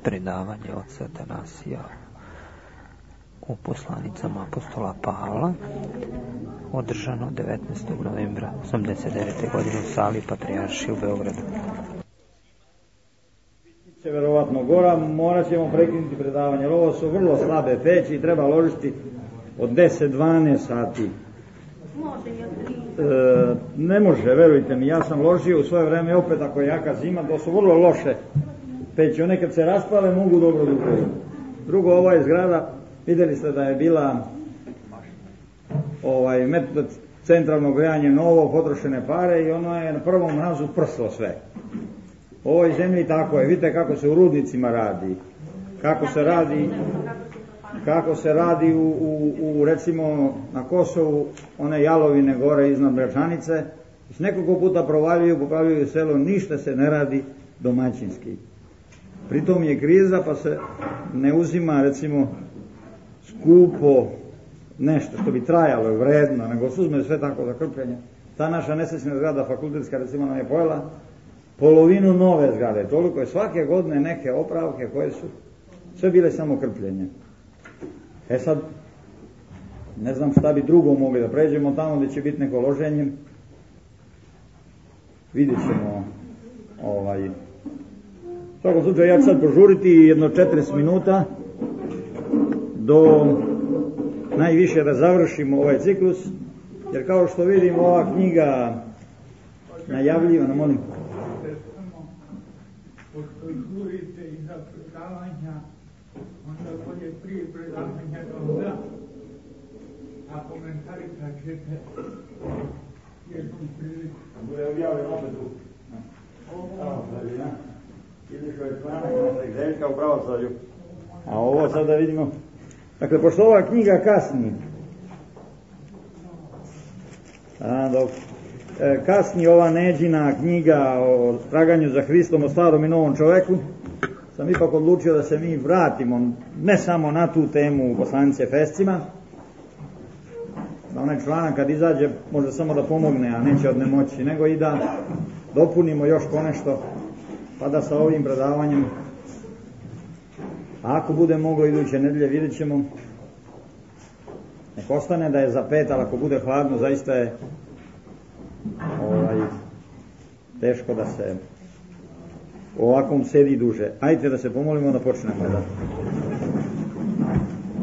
predavanje oca Atanasija u poslanicama apostola Pavla, održano 19. novembra 1989. godine u sali Patrijaršije u Beogradu. Će verovatno gora, morat ćemo prekinuti predavanje, jer ovo su vrlo slabe peći i treba ložiti od 10-12 sati. Ne može, verujte mi, ja sam ložio u svoje vreme, opet ako je jaka zima, to su vrlo loše peći, one kad se raspale mogu dobro duhovati. Drugo, ova je zgrada, vidjeli ste da je bila metod centralnog grejanja novo, potrošene pare i ono je na prvom mrazu prslo sve. U ovoj zemlji tako je, vidite kako se u rudnicima radi, kako se radi u recimo na Kosovu, one jalovine gore iznad Brečanice, nekoliko puta popravljaju selo, ništa se ne radi domaćinski. Pritom je kriza pa se ne uzima recimo skupo nešto što bi trajalo vredno, nego se uzme sve tako za krpljenje. Ta naša nesrećna zgrada fakultetska recimo nam je pojela polovinu nove zgrade, toliko je svake godine neke opravke koje su sve bile samo krpljenje. Sad, ne znam šta bi drugo mogli da pređemo tamo gdje će biti neko loženje. Vidjet ćemo u svakom slučaju ja ću sad požuriti jedno 40 minuta do najviše da završimo ovaj ciklus, jer kao što vidimo ova knjiga najavljivana, molim. Pošto žurite i za predavanja, onda bolje prije predavanja da a komentari kad ćete jednom priliku. Bude objavljeno opet tu. Izišao je članak našeg Željka u pravoslavlju. A ovo sad da vidimo. Dakle, pošto ova knjiga kasni, kasni ova Neđina knjiga o traganju za Hristom, o starom i novom čoveku, sam ipak odlučio da se mi vratimo ne samo na tu temu u poslanici Efescima, da onaj članak kad izađe može samo da pomogne, a neće od nemoći, nego i da dopunimo još ponešto, pa da sa ovim predavanjem, a ako bude moglo iduće nedelje, vidjet ćemo, nek ostane da je za 5, ali ako bude hladno, zaista je teško da se ovakvom sedi duže. Ajde da se pomolimo da počnemo.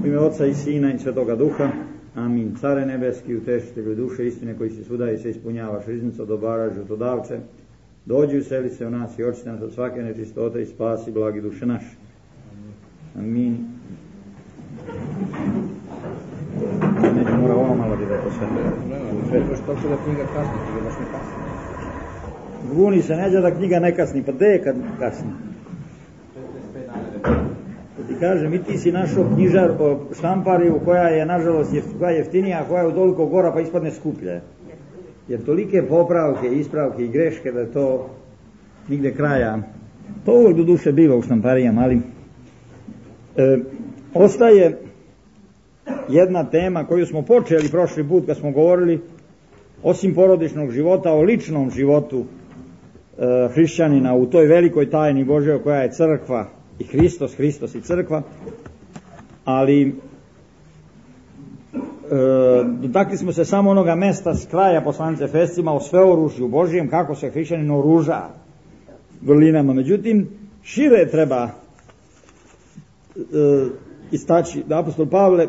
U ime Oca i Sina i Svetoga Duha. Amin. Care nebeski, utešitelju duše istine koji si svuda i se ispunjavaš, riznico dobara, životodavče, dođi useli se u nas i očiste nas od svake nečistote i spasi blagi duše naše. Amin. Neće mora ovo malo da je to sve. Što da knjiga kasni, ti baš ne kasni. Guni se neđa da knjiga ne kasni, pa gde je kad kasni? Ti kažem, i ti si našao štampariju koja je nažalost jeftinija, koja je u toliko gora pa ispadne skuplje. Jer tolike popravke, ispravke i greške da je to nigde kraja. To uvijek do duše biva u štamparijama, ali ostaje jedna tema koju smo počeli prošli put kad smo govorili osim porodičnog života, o ličnom životu hrišćanina u toj velikoj tajni Božjoj koja je crkva i Hristos i crkva, ali dotakli smo se samo onoga mesta s kraja poslanice Efescima o sveoružju Božjem, kako se hrišćanin oruža vrlinama. Međutim, šire treba istaći da apostol Pavle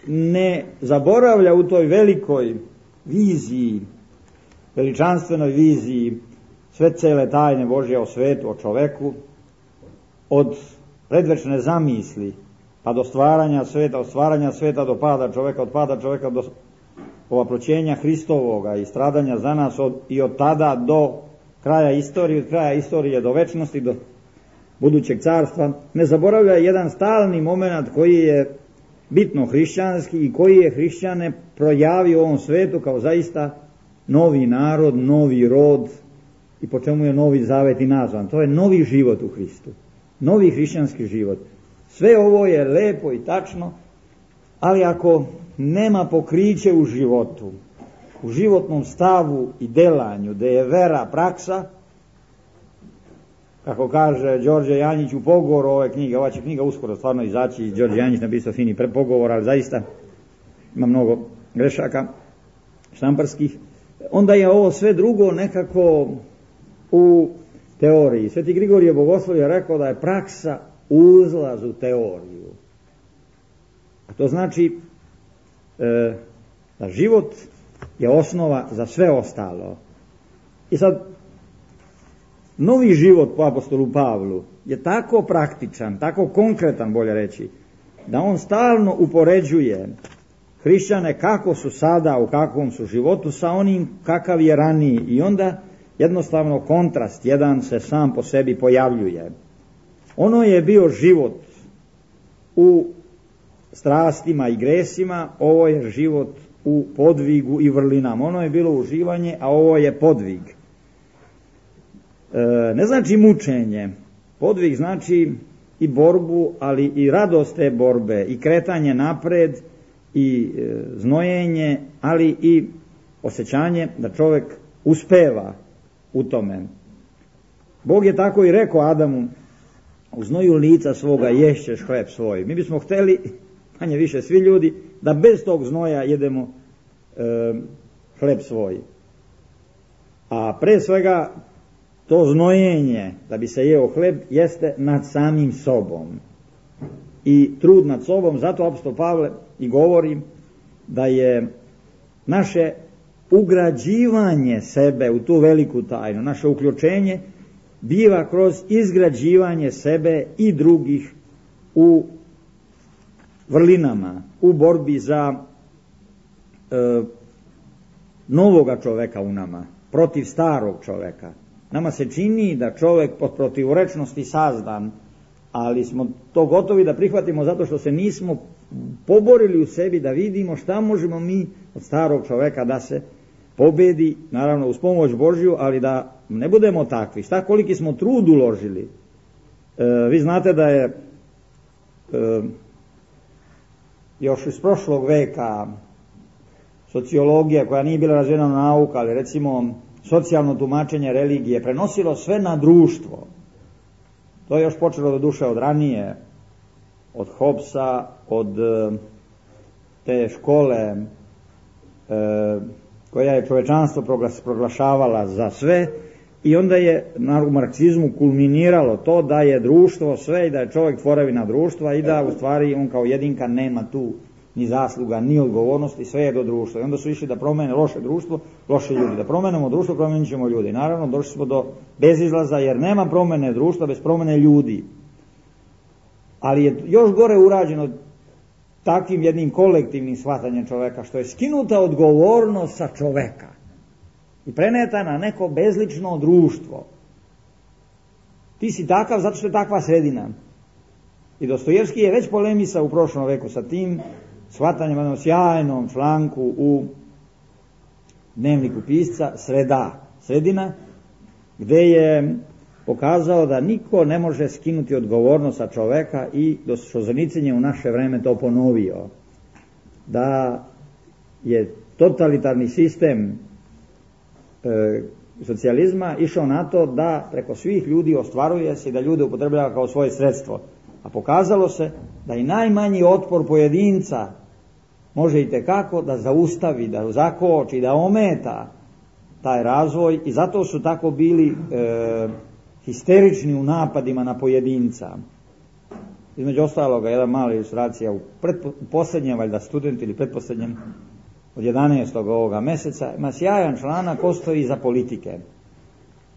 ne zaboravlja u toj velikoj viziji, veličanstvenoj viziji sve cele tajne Božje o svetu, o čoveku, od predvečne zamisli pa do stvaranja sveta, od stvaranja sveta do pada čoveka, od pada čoveka do ovaploćenja Hristovoga i stradanja za nas i od tada do kraja istorije, od kraja istorije do večnosti, do budućeg carstva. Ne zaboravlja jedan stalni moment koji je bitno hrišćanski i koji je hrišćane projavio u ovom svetu kao zaista novi narod, novi rod i po čemu je novi zavet i nazvan. To je novi život u Hristu, novi hrišćanski život. Sve ovo je lepo i tačno, ali ako nema pokriće u životu, u životnom stavu i delanju, da je vera praksa, kako kaže Đorđe Janjić u pogovoru ove knjige, ova će knjiga uskoro stvarno izaći, Đorđe Janjić napisao fini pogovor, ali zaista ima mnogo grešaka štamparskih, onda je ovo sve drugo nekako u teoriji. Sveti Grigorije Bogoslovi je rekao da je praksa uzlaz u teoriju. A to znači da život je osnova za sve ostalo. I sad, novi život po apostolu Pavlu je tako praktičan, tako konkretan, bolje reći, da on stalno upoređuje hrišćane kako su sada, u kakvom su životu, sa onim kakav je raniji. I onda jednostavno kontrast jedan se sam po sebi pojavljuje. Ono je bio život u strastima i gresima, ovo je život u podvigu i vrlinama. Ono je bilo uživanje, a ovo je podvig. Ne znači mučenje. Podvig znači i borbu, ali i radost te borbe, i kretanje napred, i znojenje, ali i osjećanje da čovjek uspeva u tome. Bog je tako i rekao Adamu: u znoju lica svoga ješćeš hleb svoj. Mi bismo hteli, manje više svi ljudi, da bez tog znoja jedemo hleb svoj. A pre svega to znojenje da bi se jeo hleb jeste nad samim sobom i trud nad sobom. Zato apostol Pavle i govori da je naše ugrađivanje sebe u tu veliku tajnu, naše uključenje biva kroz izgrađivanje sebe i drugih u vrlinama, u borbi za novoga čoveka u nama, protiv starog čoveka. Nama se čini da čovek pod protivrečnosti sazdan, ali smo to gotovi da prihvatimo zato što se nismo poborili u sebi da vidimo šta možemo mi od starog čoveka da se pobedi, naravno uz pomoć Božju, ali da ne budemo takvi. Šta koliki smo trud uložili. Vi znate da je još iz prošlog veka sociologija, koja nije bila razvijena nauka, ali recimo socijalno tumačenje religije, prenosilo sve na društvo. To je još počelo do duše od ranije, od Hobbesa, od te škole koja je čovečanstvo proglašavala za sve, i onda je u marksizmu kulminiralo to da je društvo sve i da je čovjek tvorevina društva i da u stvari on kao jedinka nema tu ni zasluga, ni odgovornosti, sve je do društva. I onda su išli da promene loše društvo, loše ljudi. Da promenemo društvo, promenit ćemo ljudi. Naravno, došli smo do bezizlaza, jer nema promene društva bez promene ljudi. Ali je još gore urađeno takvim jednim kolektivnim shvatanjem čoveka, što je skinuta odgovornost sa čoveka i preneta na neko bezlično društvo. Ti si takav zato što je takva sredina. I Dostojevski je već polemisao u prošlom veku sa tim shvatanjem, jednom sjajnom članku u dnevniku pisca Sredina, gde je pokazao da niko ne može skinuti odgovornost sa čoveka, i Solženicin je u naše vreme to ponovio, da je totalitarni sistem socijalizma išao na to da preko svih ljudi ostvaruje se i da ljude upotrebljava kao svoje sredstvo. A pokazalo se da i najmanji otpor pojedinca može i tekako da zaustavi, da zakoči, da ometa taj razvoj, i zato su tako bili histerični u napadima na pojedinca. Između ostaloga, jedna mala ilustracija, u posljednjem, valjda student ili pretposljednjem od 11. ovoga meseca, ima sjajan članak ko stoji iza politike.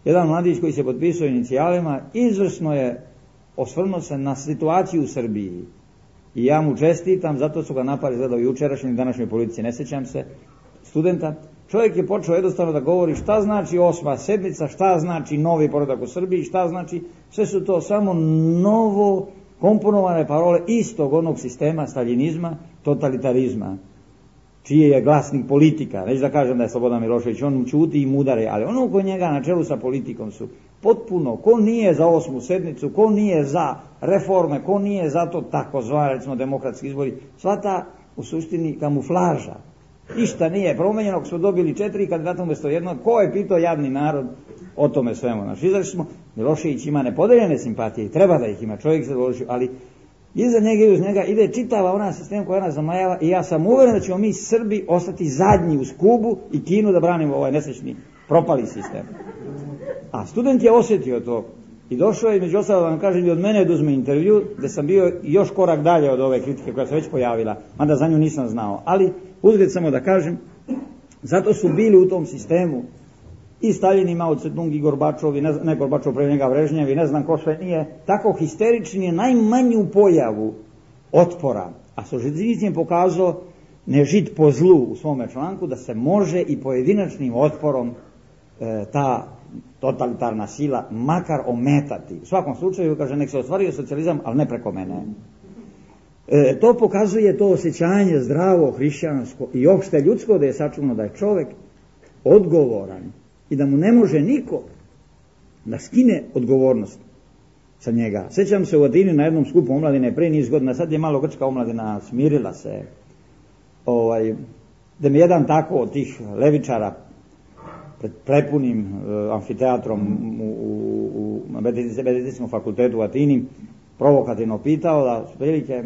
Jedan mladić koji se potpisao inicijalima izvrsno je osvrnuo se na situaciju u Srbiji. I ja mu čestitam, zato su ga napali izgledao jučerašnjoj i današnjoj politici, ne sjećam se, studenta. Čovjek je počeo jednostavno da govori šta znači 8. sedmica, šta znači novi poredak u Srbiji, šta znači, sve su to samo novo komponovane parole istog onog sistema staljinizma, totalitarizma, čiji je glasnik politika. Neću da kažem da je Slobodan Milošević, on ćuti i mudare, ali ono oko njega na čelu sa politikom su potpuno, ko nije za 8. sedmicu, ko nije za reforme, ko nije za to takozvani, recimo, demokratski izbori, sva ta u suštini kamuflaža. Ništa nije promenjeno, ako smo dobili 4 kandidata umjesto jednog, ko je pitao jadni narod o tome svemu. Znači, izašli smo, Milošević ima nepodeljene simpatije i treba da ih ima, čovjek se zadovoljio, ali iza njega i uz njega ide čitava ona sistem koja nas zamajava i ja sam uveren da ćemo mi Srbi ostati zadnji uz Kubu i Kinu da branimo ovaj nesrećni propali sistem. A student je osjetio to i došao je, među ostalo da vam kažem, i od mene da uzme intervju, gde sam bio još korak dalje od ove kritike koja se već pojavila, mada za nju nisam znao. Ali uzgled samo da kažem, zato su bili u tom sistemu i Staljin, i Mao Tse-tung, i Gorbačov, i ne Gorbačov pre njega, Brežnjev, i ne znam ko sve nije, tako histerični je najmanju pojavu otpora, a Solženicin je pokazao ne žid po zlu u svome članku, da se može i pojedinačnim otporom ta totalitarna sila makar ometati. U svakom slučaju, kaže, nek se ostvario socijalizam, ali ne preko mene. To pokazuje to osjećanje zdravo, hrišćansko i opšte ljudsko, da je sačuvano da je čovjek odgovoran i da mu ne može niko da skine odgovornost sa njega. Sjećam se u Atini na jednom skupu omladine pre niz godina, sad je malo grčka omladina smirila se, da mi jedan tako od tih levičara pred prepunim amfiteatrom na medicinskom fakultetu u Atini provokativno pitao da prilike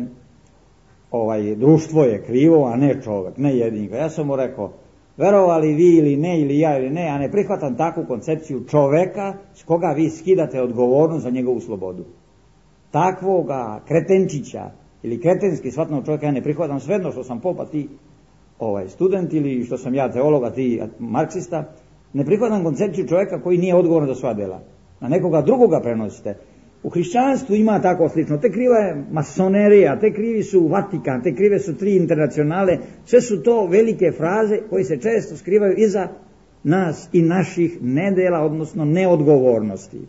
društvo je krivo, a ne čovjek, ne jedinka. Ja sam mu rekao, verovali vi ili ne, ili ja ili ne, ja ne prihvatam takvu koncepciju čoveka s koga vi skidate odgovornost za njegovu slobodu. Takvoga kretenčića ili kretenski shvatnog čovjeka ja ne prihvatam, svejedno što sam popa, ti student, ili što sam ja teolog, a ti marksista. Ne prihvatam koncepciju čovjeka koji nije odgovoran za sva dela. Na nekoga drugoga prenosite. U hrišćanstvu ima tako slično. Te kriva je masonerija, te krivi su Vatikan, te krive su 3 internacionale. Sve su to velike fraze koje se često skrivaju iza nas i naših nedela, odnosno neodgovornosti.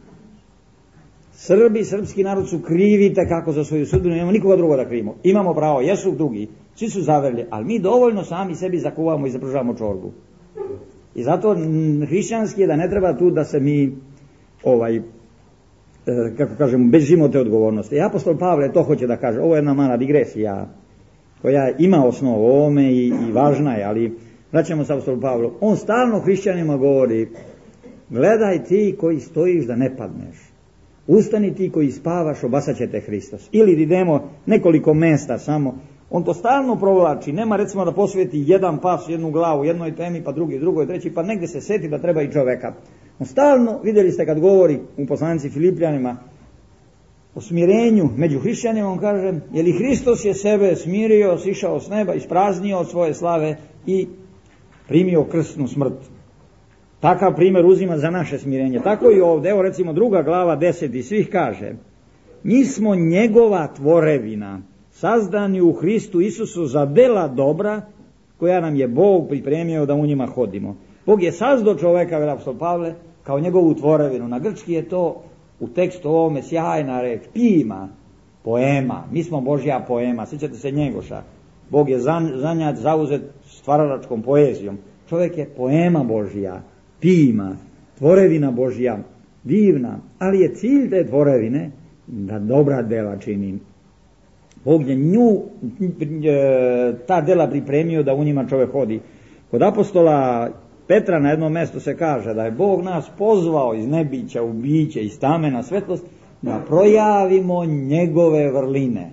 Srbi, srpski narod su krivi kako za svoju sudbinu, nemamo nikoga drugo da krivimo. Imamo pravo, jesu drugi, svi su zaverli, ali mi dovoljno sami sebi zakuvamo i zapružavamo čorbu. I zato hrišćanski je da ne treba tu da se mi kako kažemo, bežimo te odgovornosti. I apostol Pavle to hoće da kaže. Ovo je jedna mala digresija koja ima osnovu ovome i važna je, ali vraćamo se apostolu Pavlu. On stalno hrišćanima govori, gledaj ti koji stojiš da ne padneš. Ustani ti koji spavaš, obasat će te Hristos. Ili idemo nekoliko mesta samo. On to stalno provlači, nema recimo da posveti jedan pas, jednu glavu, jednoj temi, pa drugi, drugoj, treći, pa negdje se seti da treba i čoveka. On stalno, vidjeli ste kad govori u poslanici Filipljanima o smirenju među hrišćanima, on kaže, je li Hristos je sebe smirio, sišao s neba, ispraznio od svoje slave i primio krsnu smrt. Takav primjer uzima za naše smirenje. Tako i ovdje, evo recimo 2. glava 10. svih kaže, mi smo njegova tvorevina, sazdani u Hristu Isusu za dela dobra koja nam je Bog pripremio da u njima hodimo. Bog je sazdao čoveka, veli apostol Pavle, kao njegovu tvorevinu. Na grčki je to u tekstu ovome sjajna reč, pima, poema. Mi smo Božja poema, sjećate se Njegoša. Bog je zanjat, zauzet stvaralačkom poezijom. Čovjek je poema Božja, pima, tvorevina Božja, divna, ali je cilj te tvorevine da dobra dela čini. Bog je ta dela pripremio da u njima čovjek hodi. Kod apostola Petra na jednom mjestu se kaže da je Bog nas pozvao iz nebića u biće, iz tame na svetlost, da projavimo njegove vrline.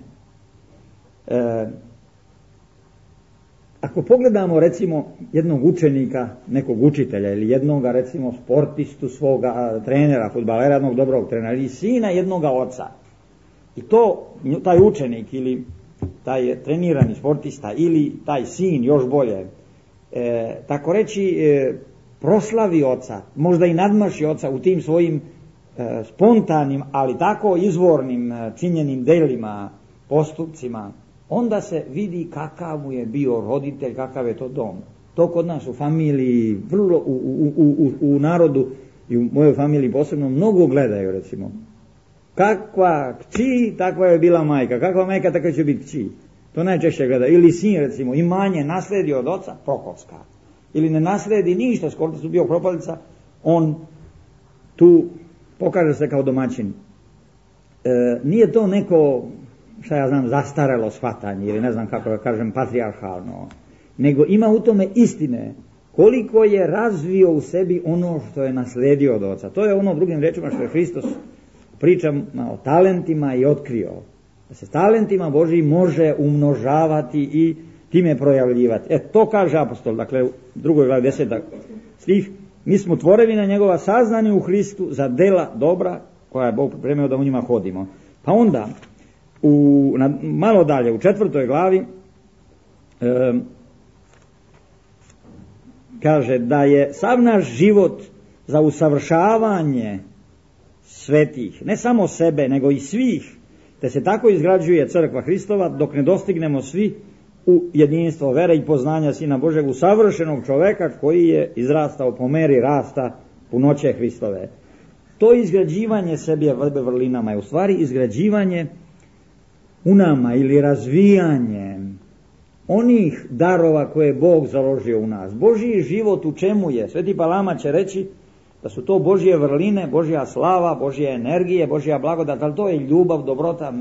Ako pogledamo recimo jednog učenika, nekog učitelja ili jednoga recimo sportistu svoga trenera, fudbalera, jednog dobrog trenera ili sina jednoga oca, i to taj učenik ili taj trenirani sportista ili taj sin još bolje, tako reći proslavi oca, možda i nadmaši oca u tim svojim spontanim, ali tako izvornim činjenim delima, postupcima, onda se vidi kakav mu je bio roditelj, kakav je to dom. To kod nas u familiji, vrlo u narodu i u mojoj familiji posebno mnogo gledaju recimo. Kakva kći, takva je bila majka, kakva majka, takva će biti kći. To najčešće gleda. Ili sin recimo, imanje nasledi od oca, prokocka. Ili ne nasledi ništa, skoro su bio propalica, on tu pokaže se kao domaćin. Nije to neko, šta ja znam, zastarelo shvatanje, ili ne znam kako da kažem, patrijarhalno, nego ima u tome istine koliko je razvio u sebi ono što je nasledio od oca. To je ono drugim rečima što je Hristos pričama o talentima i otkrio. Da se talentima Božijim može umnožavati i time projavljivati. To kaže apostol, dakle u 2. glavi 10. stih, mi smo tvorevina njegova saznani u Hristu za dela dobra koja je Bog pripremio da u njima hodimo. Pa onda, malo dalje, u 4. glavi, kaže da je sav naš život za usavršavanje svetih, ne samo sebe, nego i svih, te se tako izgrađuje crkva Hristova, dok ne dostignemo svi u jedinstvo vere i poznanja Sina Božeg, u savršenog čoveka koji je izrastao po meri rasta punoće Hristove. To izgrađivanje sebe vrlinama je u stvari izgrađivanje u nama ili razvijanje onih darova koje je Bog založio u nas. Božji život u čemu je? Sveti Palama će reći da su to Božje vrline, Božja slava, Božje energije, Božja blagodat, ali to je ljubav, dobrota,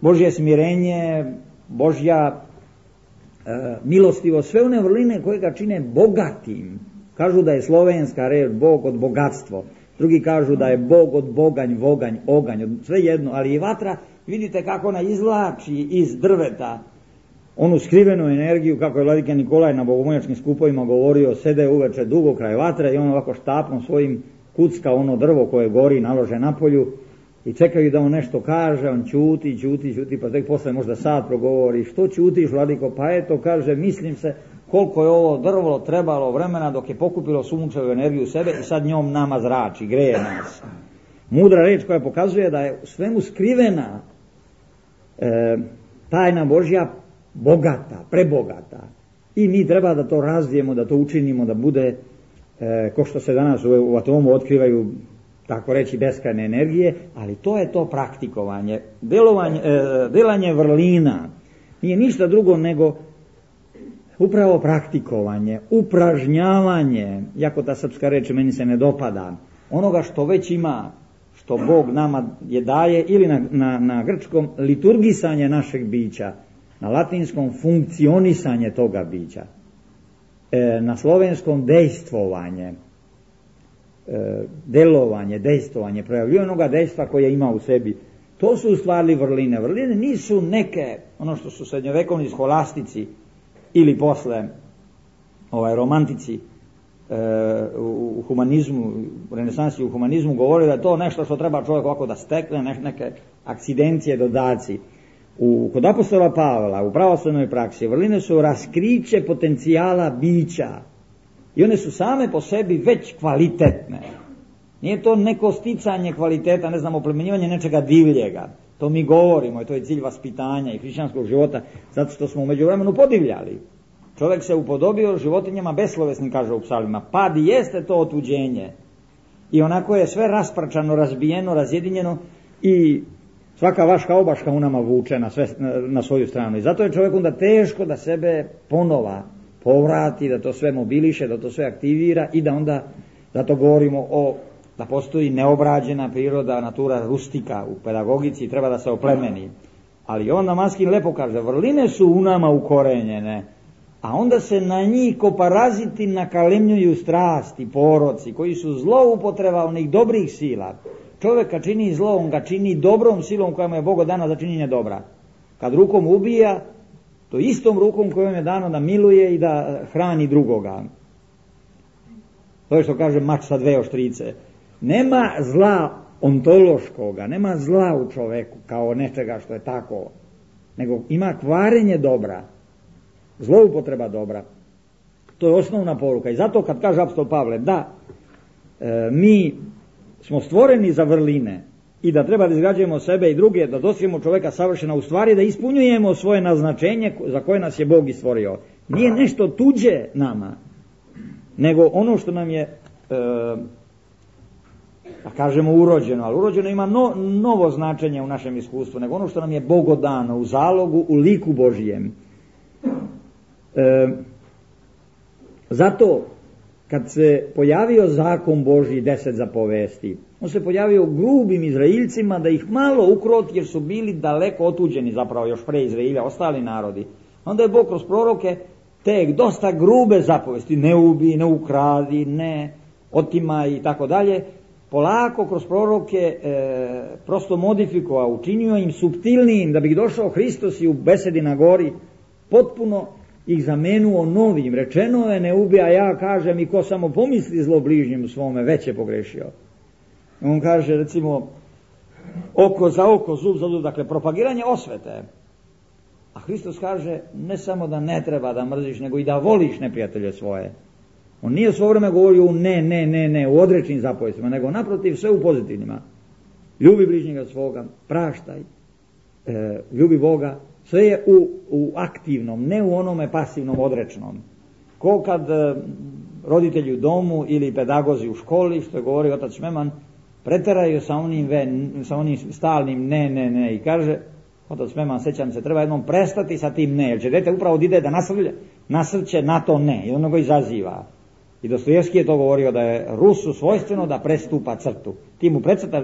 Božje smirenje, Božja milostivost, sve one vrline koje ga čine bogatim. Kažu da je slovenska reč Bog od bogatstvo, drugi kažu da je Bog od boganj, voganj, oganj, sve jedno, ali i vatra, vidite kako ona izvlači iz drveta onu skrivenu energiju, kako je vladika Nikolaj na bogomoljačkim skupovima govorio, sede uveče dugo kraj vatre i on ovako štapom svojim kucka ono drvo koje gori, nalože na polju i čekaju da on nešto kaže, on ćuti, pa tek posle možda sat progovori, što ćutiš vladiko, pa eto kaže, mislim se koliko je ovo drvo trebalo vremena dok je pokupilo sunčevu energiju u sebe i sad njom nama zrači, greje nas. Mudra reč koja pokazuje da je u svemu skrivena tajna Božja bogata, prebogata. I mi treba da to razvijemo, da to učinimo, da bude, ko što se danas u atomu otkrivaju, tako reći, beskrajne energije, ali to je to praktikovanje. Delanje vrlina nije ništa drugo nego upravo praktikovanje, upražnjavanje, jako ta srpska reč meni se ne dopada, onoga što već ima, što Bog nama je daje, ili na grčkom liturgisanje našeg bića, na latinskom funkcionisanje toga bića, na slovenskom dejstvovanje, delovanje, dejstvovanje, projavljivanje onoga dejstva koje ima u sebi. To su u stvari vrline. Vrline nisu neke, ono što su srednjovekovni scholastici ili posle romantici u humanizmu, u renesansi u humanizmu govorili da je to nešto što treba čovjek ovako da stekne, neke akcidencije, dodaci. Kod apostola Pavla, u pravoslavnoj praksi, vrline su raskriće potencijala bića i one su same po sebi već kvalitetne. Nije to neko sticanje kvaliteta, ne znam, oplemenjivanje nečega divljega. To mi govorimo i to je cilj vaspitanja i hrišćanskog života, zato što smo u međuvremenu podivljali. Čovjek se upodobio životinjama beslovesnim, kaže u psalmima. Pad jeste to otuđenje. I onako je sve raspračano, razbijeno, razjedinjeno i svaka vaška obaška u nama vuče na svoju stranu. I zato je čovjek onda teško da sebe ponova povrati, da to sve mobiliše, da to sve aktivira i da onda, zato govorimo da postoji neobrađena priroda, natura rustika u pedagogici, treba da se oplemeni. Ali on Damaskin lepo kaže, vrline su u nama ukorenjene, a onda se na njih ko paraziti nakalemljuju strasti, poroci, koji su zloupotreba onih dobrih sila. Čovjeka čini zlo, on ga čini dobrom silom koja mu je Bogu dana za činjenje dobra. Kad rukom ubija, to istom rukom kojom je dano da miluje i da hrani drugoga. To je što kaže mač sa dve oštrice. Nema zla ontološkoga, nema zla u čoveku kao nečega što je tako, nego ima kvarenje dobra, zloupotreba dobra. To je osnovna poruka. I zato kad kaže apostol Pavle da mi smo stvoreni za vrline i da treba da izgrađujemo sebe i druge, da dostignemo čoveka savršena, u stvari da ispunjujemo svoje naznačenje za koje nas je Bog i stvorio. Nije nešto tuđe nama, nego ono što nam je da kažemo urođeno, ali urođeno ima novo značenje u našem iskustvu, nego ono što nam je Bogu dano u zalogu, u liku Božijem. Zato kad se pojavio zakon Božji 10 zapovesti, on se pojavio grubim Izraeljcima da ih malo ukroti jer su bili daleko otuđeni zapravo još pre Izraelja, ostali narodi. Onda je Bog kroz proroke te dosta grube zapovesti, ne ubi, ne ukradi, ne otimaj i tako dalje, polako kroz proroke prosto modifikovao, učinio im suptilnijim, da bi došao Hristos i u besedi na gori potpuno ih zamenuo novim. Rečeno je ne ubija, ja kažem, i ko samo pomisli zlo bližnjemu svome, već je pogrešio. On kaže, recimo, oko za oko, zub za zub, dakle propagiranje osvete. A Hristos kaže ne samo da ne treba da mrziš, nego i da voliš neprijatelje svoje. On nije svo vreme govorio u ne, u odrečnim zapovestima, nego naprotiv sve u pozitivnima. Ljubi bližnjega svoga, praštaj, ljubi Boga, sve je u aktivnom, ne u onome pasivnom, odrečnom. Ko kad roditelji u domu ili pedagozi u školi, što je govorio otac Šmeman, preteraju sa onim stalnim ne i kaže, otac Šmeman, sećam se, treba jednom prestati sa tim ne, jer će dete upravo ide da nasrće na to ne i ono ga izaziva. I Dostojevski je to govorio da je Rusu svojstveno da prestupa crtu. Ti mu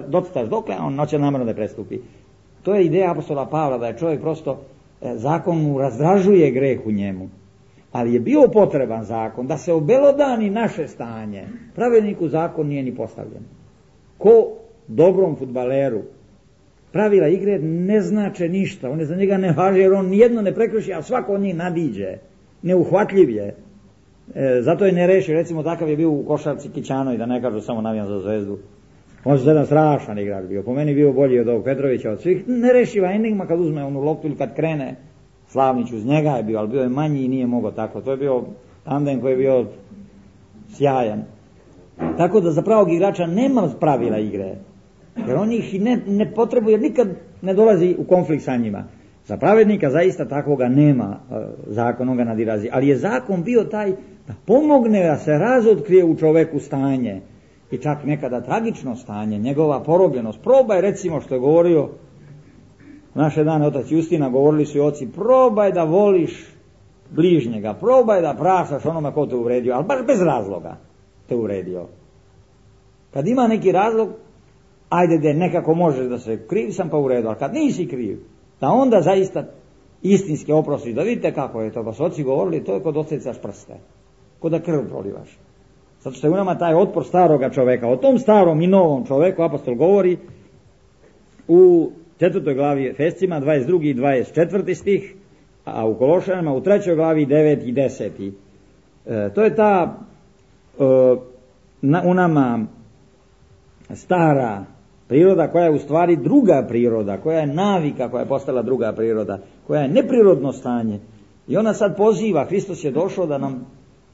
docrtaš dokle, a on hoće namjerno da prestupi. To je ideja apostola Pavla, da je čovjek prosto, zakon mu razdražuje greh u njemu. Ali je bio potreban zakon da se obelodani naše stanje. Pravedniku zakon nije ni postavljen. Ko dobrom fudbaleru pravila igre ne znače ništa, one za njega ne važe jer on nijedno ne prekrši, a svako od njih nadiđe, neuhvatljiv je. Zato je ne reši, recimo takav je bio u košarci Kićanoj, da ne kažu samo navijam za Zvezdu. On je jedan strašan igrač bio, po meni bio bolji od ovog Petrovića, od svih, nerešiva enigma kad uzme onu loptu ili kad krene. Slavnić uz njega je bio, ali bio je manji i nije mogao tako. To je bio tandem koji je bio sjajan. Tako da za pravog igrača nema pravila igre, jer on ih ne potrebuje, jer nikad ne dolazi u konflikt sa njima. Za pravednika zaista takvoga nema, zakonom ga nadilazi, ali je zakon bio taj da pomogne da se razotkrije u čoveku stanje, i čak nekada tragično stanje, njegova porobljenost. Probaj, recimo, što je govorio naše dane otac Justina, govorili su i oci, probaj da voliš bližnjega, probaj da praštaš onome ko te uvredio, ali baš bez razloga te uvredio. Kad ima neki razlog, ajde da nekako možeš da se kriv sam pa u redu, ali kad nisi kriv, da onda zaista istinski oprostiš, da vidite kako je to, pa su oci govorili, to je kod osecaš prste, kod da krv prolivaš. Zato što je u nama taj otpor staroga čoveka. O tom starom i novom čoveku apostol govori u 4. glavi Efescima, 22. i 24. stih, a u Kološanima u 3. glavi 9. i 10. To je ta u nama stara priroda koja je u stvari druga priroda, koja je navika, koja je postala druga priroda, koja je neprirodno stanje. I ona sad poziva, Hristos je došao da nam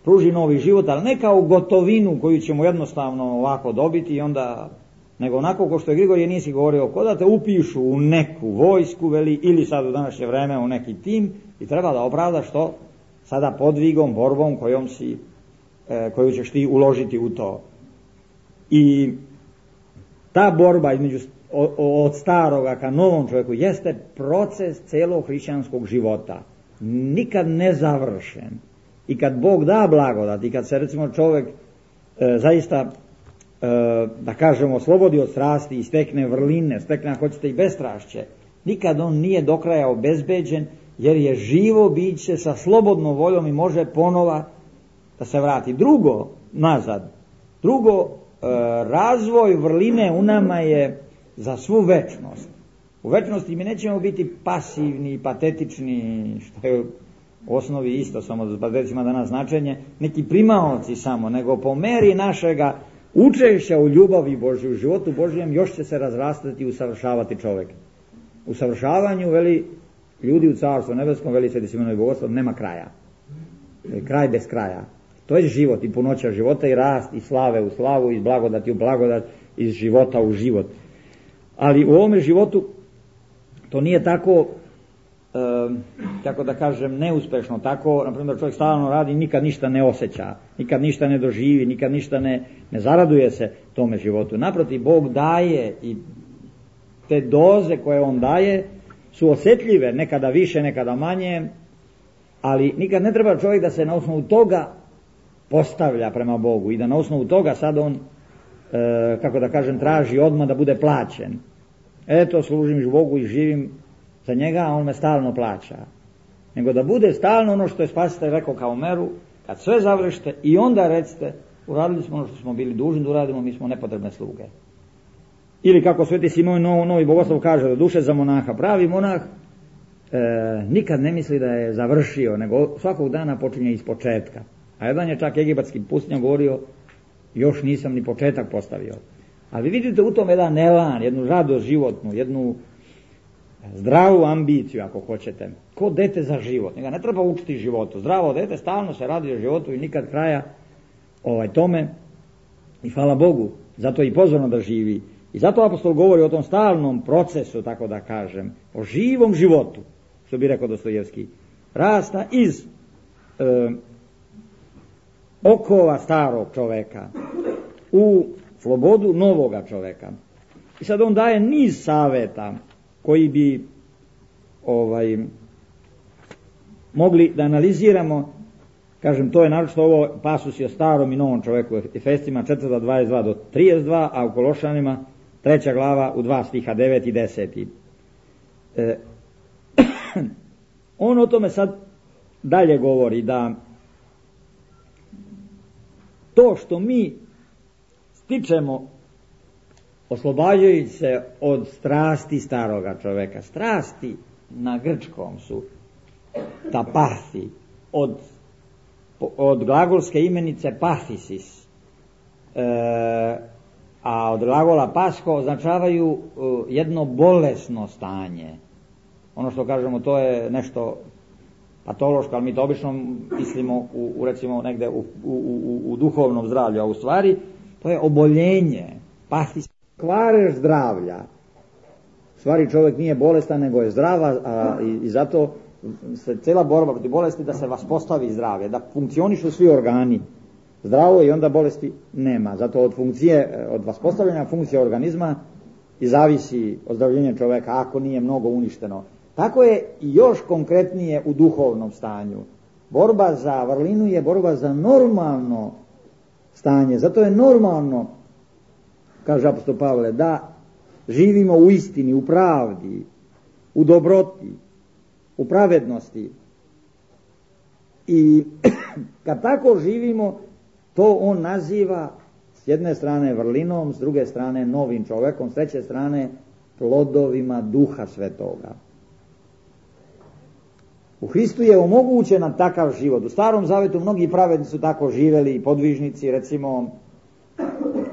pruži novi život, ali ne kao gotovinu koju ćemo jednostavno ovako dobiti i onda, nego onako ko što je Grigorije Nisi govorio, ko da te upišu u neku vojsku, veli, ili sad u današnje vreme u neki tim i treba da opravdaš to sada podvigom, borbom koju ćeš ti uložiti u to. I ta borba između od staroga ka novom čovjeku jeste proces celog hrišćanskog života, nikad ne završen. I kad Bog da blagodat i kad se recimo čovjek zaista da kažemo slobodi od strasti i stekne vrline, stekne ako hoćete i bestrašće, nikad on nije do kraja obezbeđen, jer je živo biće sa slobodnom voljom i može ponova da se vrati. Drugo, razvoj vrline u nama je za svu večnost. U večnosti mi nećemo biti pasivni, patetični, što je u osnovi isto, samo da patetičima danas značenje, neki primaoci samo, nego po meri našega učešća u ljubavi Božju, u životu Božjem, još će se razrastati i usavršavati čovjek. U savršavanju, veli ljudi u Carstvu nebeskom, veli Sveti Simeon Bogoslov, nema kraja. Kraj bez kraja. To je život i punoća života i rast i slave u slavu, iz blagodati u blagodat, iz života u život. Ali u ovome životu to nije tako, kako da kažem, neuspešno. Tako, na primjer, čovjek stalno radi i nikad ništa ne osjeća, nikad ništa ne doživi, nikad ništa ne zaraduje se tome životu. Naprotiv, Bog daje i te doze koje on daje su osjetljive, nekada više, nekada manje, ali nikad ne treba čovjek da se na osnovu toga postavlja prema Bogu i da na osnovu toga sad on, kako da kažem, traži odmah da bude plaćen. Eto, služim Bogu i živim za njega, a on me stalno plaća. nego da bude stalno ono što je Spasitelj rekao kao meru, kad sve završite i onda recite, uradili smo ono što smo bili dužni da uradimo, mi smo nepotrebne sluge. Ili kako Sveti Simon Novi Bogoslov kaže, do duše za monaha, pravi monah nikad ne misli da je završio, nego svakog dana počinje iz početka. A jedan je čak egipatski pustinjak govorio, još nisam ni početak postavio. Ali vidite u tom jedan elan, jednu radost životnu, jednu zdravu ambiciju ako hoćete, ko dete za život. Njega ne treba učiti životu. Zdravo dete stalno se radi o životu i nikad kraja tome. I hvala Bogu, zato je i pozvano da živi. I zato apostol govori o tom stalnom procesu, tako da kažem, o živom životu, što bi rekao Dostojevski, rasta iz okova starog čoveka u slobodu novoga čoveka. I sad on daje niz saveta koji bi mogli da analiziramo. Kažem, to je naročito ovo pasusi o starom i novom čoveku, Efescima 4:22 do 32, a u Kološanima 3. glava u 2 stiha 9 i 10. On o tome sad dalje govori da to što mi stičemo oslobađajući se od strasti staroga čoveka, strasti na grčkom su tapasi, od glagolske imenice pathisis, a od glagola pasko označavaju jedno bolesno stanje. Ono što kažemo, to je nešto patološko, ali mi to obično mislimo recimo negde u duhovnom zdravlju, a u stvari to je oboljenje, pathis, kvarež zdravlja. U stvari čovjek nije bolestan, nego je zdrava, i zato se cijela borba protiv bolesti da se vaspostavi zdravlje, da funkcionišu svi organi zdravo i onda bolesti nema. Zato od vaspostavljanja funkcije organizma i zavisi ozdravljenje čovjeka ako nije mnogo uništeno. Tako je i još konkretnije u duhovnom stanju. Borba za vrlinu je borba za normalno stanje. Zato je normalno, kaže apostol Pavle, da živimo u istini, u pravdi, u dobroti, u pravednosti. I kad tako živimo, to on naziva s jedne strane vrlinom, s druge strane novim čovjekom, s treće strane plodovima Duha Svetoga. U Hristu je omogućen takav život. U Starom Zavetu mnogi pravedni su tako živjeli, podvižnici, recimo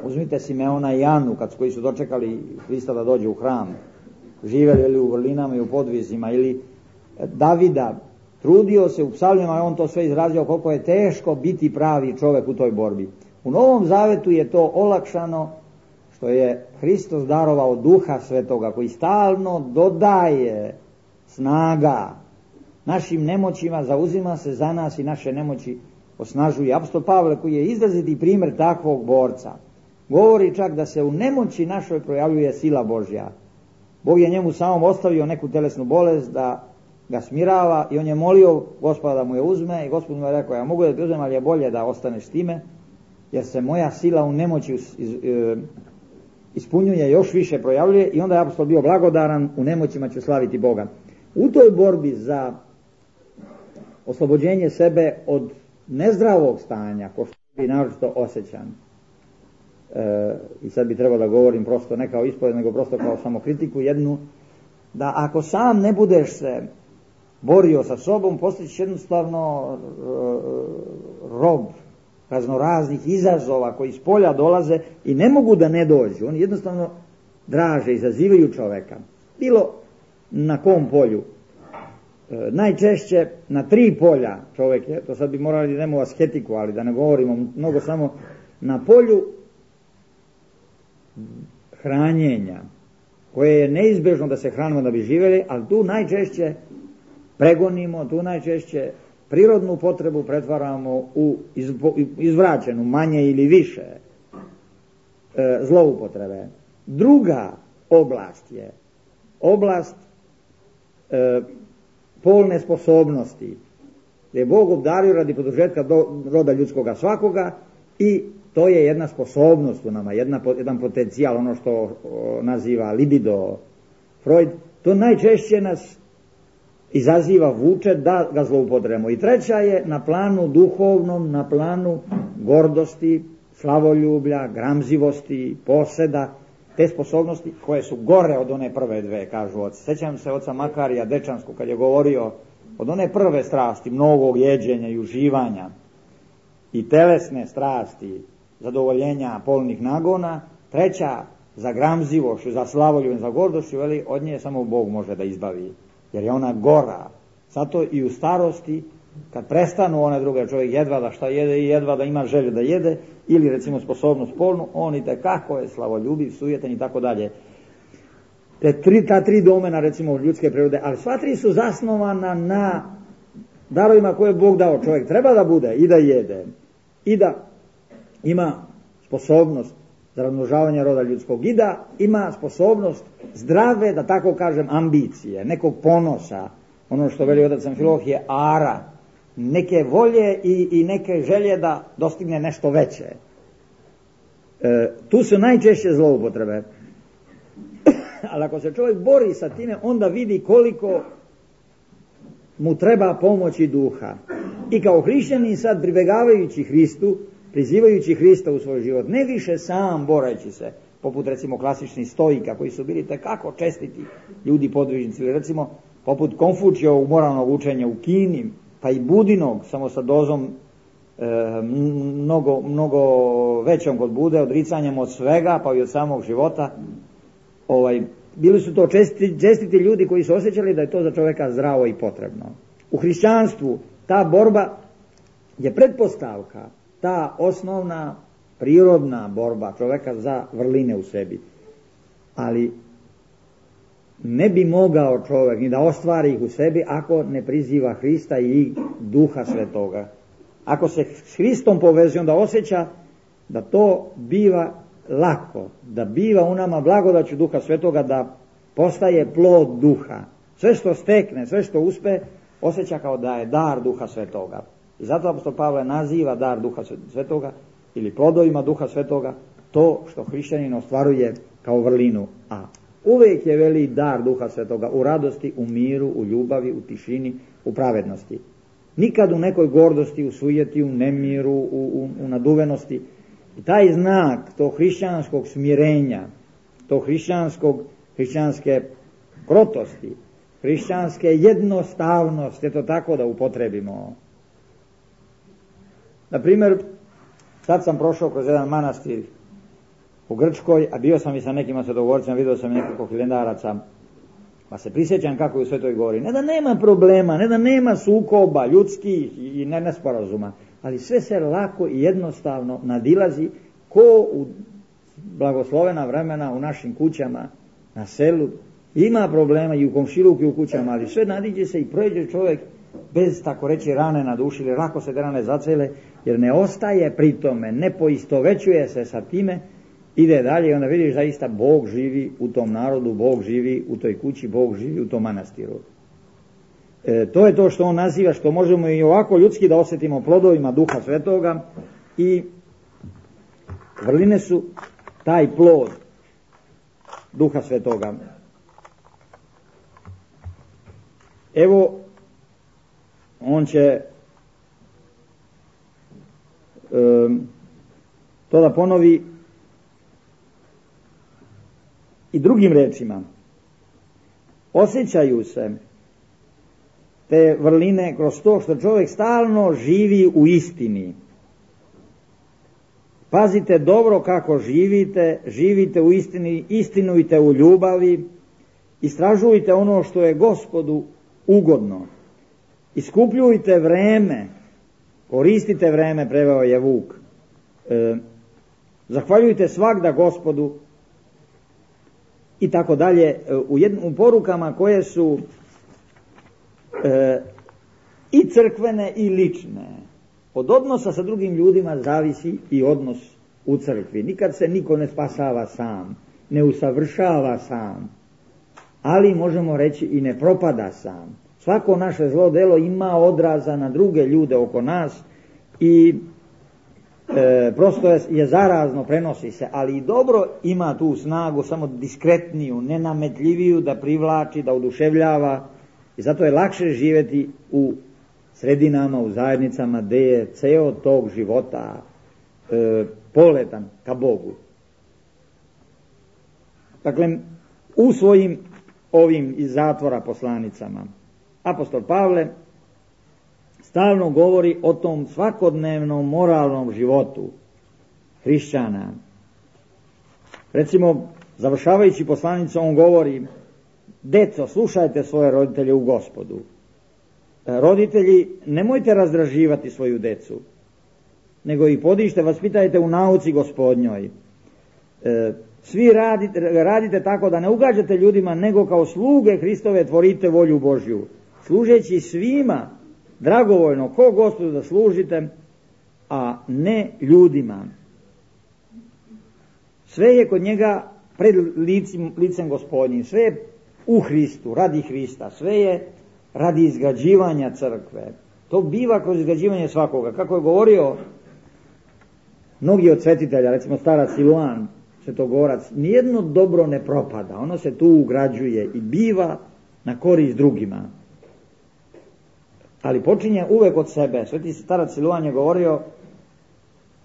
uzmite Simeona i Anu koji su dočekali Hrista da dođe u hram, živjeli ili u vrlinama i u podvizima, ili Davida, trudio se u psalmima, on to sve izrazio koliko je teško biti pravi čovjek u toj borbi. U Novom Zavetu je to olakšano što je Hristos darovao Duha Svetoga koji stalno dodaje snaga našim nemoćima, zauzima se za nas i naše nemoći osnažuje. Apostol Pavle, koji je izraziti primjer takvog borca, govori čak da se u nemoći našoj projavljuje sila Božja. Bog je njemu samom ostavio neku telesnu bolest da ga smirava i on je molio Gospoda da mu je uzme i Gospod mu je rekao, ja mogu da ti uzmem, ali je bolje da ostaneš s time, jer se moja sila u nemoći ispunjuje, još više projavljuje. I onda je apostol bio blagodaran, u nemoćima ću slaviti Boga. U toj borbi za oslobođenje sebe od nezdravog stanja, ko što je naročito osjećan, i sad bi trebalo da govorim prosto ne kao ispoved, nego prosto kao samokritiku jednu, da ako sam ne budeš se borio sa sobom, postaćeš jednostavno rob raznoraznih izazova koji iz polja dolaze i ne mogu da ne dođu. Oni jednostavno draže, izazivaju čoveka. Bilo na kom polju? Najčešće na 3 polja čovjek je, to sad bi morali da idemo u asketiku, ali da ne govorimo mnogo, samo na polju hranjenja, koje je neizbežno da se hranimo da bi živjeli, ali tu najčešće pregonimo, tu najčešće prirodnu potrebu pretvaramo u izvraćenu, manje ili više zloupotrebe. Druga oblast je oblast polne sposobnosti, gdje je Bog obdario radi produžetka roda ljudskoga svakoga, i to je jedna sposobnost u nama, jedan potencijal, ono što naziva libido Freud. To najčešće nas izaziva, vuče da ga zloupotrebimo. I treća je na planu duhovnom, na planu gordosti, slavoljublja, gramzivosti, poseda, te sposobnosti koje su gore od one prve dve, kažu oci. Sjećam se oca Makarija Dečanskog kad je govorio od one prve strasti, mnogog jeđenja i uživanja i telesne strasti, zadovoljenja polnih nagona, treća za gramzivošću, za slavoljubljem, za gordošću, veli, od nje samo Bog može da izbavi, jer je ona gora. Zato i u starosti, kad prestanu one druge, čovjek jedva da šta jede i jedva da ima želju da jede, ili recimo sposobnost polnu, on i tekako je slavoljubiv, sujetan i tako dalje. Ta tri domena recimo ljudske prirode, ali sva tri su zasnovana na darovima koje je Bog dao. Čovjek treba da bude i da jede i da ima sposobnost za razmnožavanje roda ljudskog i da ima sposobnost zdrave, da tako kažem, ambicije, nekog ponosa, ono što veli otac Amfilohije, ara, neke volje i neke želje da dostigne nešto veće. Tu su najčešće zloupotrebe. Ali ako se čovjek bori sa time, onda vidi koliko mu treba pomoći duha. I kao hrišćanin sad pribegavajući Hristu, prizivajući Hrista u svoj život, ne više sam boreći se, poput recimo klasičnih stoika koji su bili tekako čestiti ljudi podvižnici, ili recimo poput Konfučijevog moralnog učenja u Kini, pa i Budinog, samo sa dozom mnogo većom kod Bude, odricanjem od svega, pa i od samog života. Bili su to čestiti ljudi koji su osjećali da je to za čovjeka zdravo i potrebno. U hrišćanstvu ta borba je pretpostavka, ta osnovna prirodna borba čovjeka za vrline u sebi. Ali ne bi mogao čovjek ni da ostvari ih u sebi ako ne priziva Hrista i Duha Svetoga. Ako se s Hristom povezuje, onda osjeća da to biva lako, da biva u nama blagodaću Duha Svetoga, da postaje plod Duha. Sve što stekne, sve što uspe, osjeća kao da je dar Duha Svetoga. I zato apostol Pavle naziva dar Duha Svetoga ili plodovima Duha Svetoga to što hrišćanin ostvaruje kao vrlinu. A uvijek je veli dar Duha Svetoga u radosti, u miru, u ljubavi, u tišini, u pravednosti. Nikad u nekoj gordosti, u sujeti, u nemiru, u naduvenosti. I taj znak tog hrišćanskog smirenja, tog hrišćanske krotosti, hrišćanske jednostavnosti, eto tako da upotrebimo. Na primjer, sad sam prošao kroz jedan manastir u Grčkoj, a bio sam i sa nekim svetogovorcima, vidio sam nekoliko hilendaraca, pa se prisjećam kako je u Svetoj Gori. Ne da nema problema, ne da nema sukoba ljudskih i nesporazuma, ali sve se lako i jednostavno nadilazi ko u blagoslovena vremena u našim kućama, na selu. Ima problema i u komšiluku i u kućama, ali sve nadiđe se i prođe čovjek bez, tako reći, rane na duši, ili lako se te rane zacele, jer ne ostaje pri tome, ne poistovećuje se sa time, ide dalje i onda vidiš zaista Bog živi u tom narodu, Bog živi u toj kući, Bog živi u tom manastiru. To je to što on naziva, što možemo i ovako ljudski da osjetimo plodovima Duha Svetoga, i vrline su taj plod Duha Svetoga. Evo, on će to da ponovi i drugim rečima. Osjećaju se te vrline kroz to što čovjek stalno živi u istini. Pazite dobro kako živite, živite u istini, istinujte u ljubavi, istražujte ono što je Gospodu ugodno. Iskupljujte vreme, koristite vreme, preveo je Vuk. Zahvaljujte svagda Gospodu i tako dalje, u porukama koje su i crkvene i lične. Od odnosa sa drugim ljudima zavisi i odnos u crkvi. Nikad se niko ne spasava sam, ne usavršava sam, ali možemo reći i ne propada sam. Svako naše zlo delo ima odraza na druge ljude oko nas i prosto je zarazno, prenosi se, ali i dobro ima tu snagu, samo diskretniju, nenametljiviju, da privlači, da oduševljava I zato je lakše živjeti u sredinama, u zajednicama gdje je ceo tog života poletan ka Bogu. Dakle, u svojim ovim iz zatvora poslanicama apostol Pavle stalno govori o tom svakodnevnom moralnom životu hrišćana. Recimo, završavajući poslanicu, on govori: deco, slušajte svoje roditelje u Gospodu. Roditelji, nemojte razdraživati svoju decu, nego ih podižite, vaspitajte u nauci Gospodnjoj. Svi radite tako da ne ugađate ljudima, nego kao sluge Hristove tvorite volju Božju, služeći svima dragovoljno ko Gospodu da služite, a ne ljudima. Sve je kod njega pred licem Gospodnjim, sve je u Hristu, radi Hrista, sve je radi izgrađivanja crkve. To biva kroz izgrađivanje svakoga. Kako je govorio mnogi od svetitelja, recimo starac Siluan, svetogorac, nijedno dobro ne propada, ono se tu ugrađuje i biva na korist drugima. Ali počinje uvek od sebe. Sveti starac Siluan je govorio: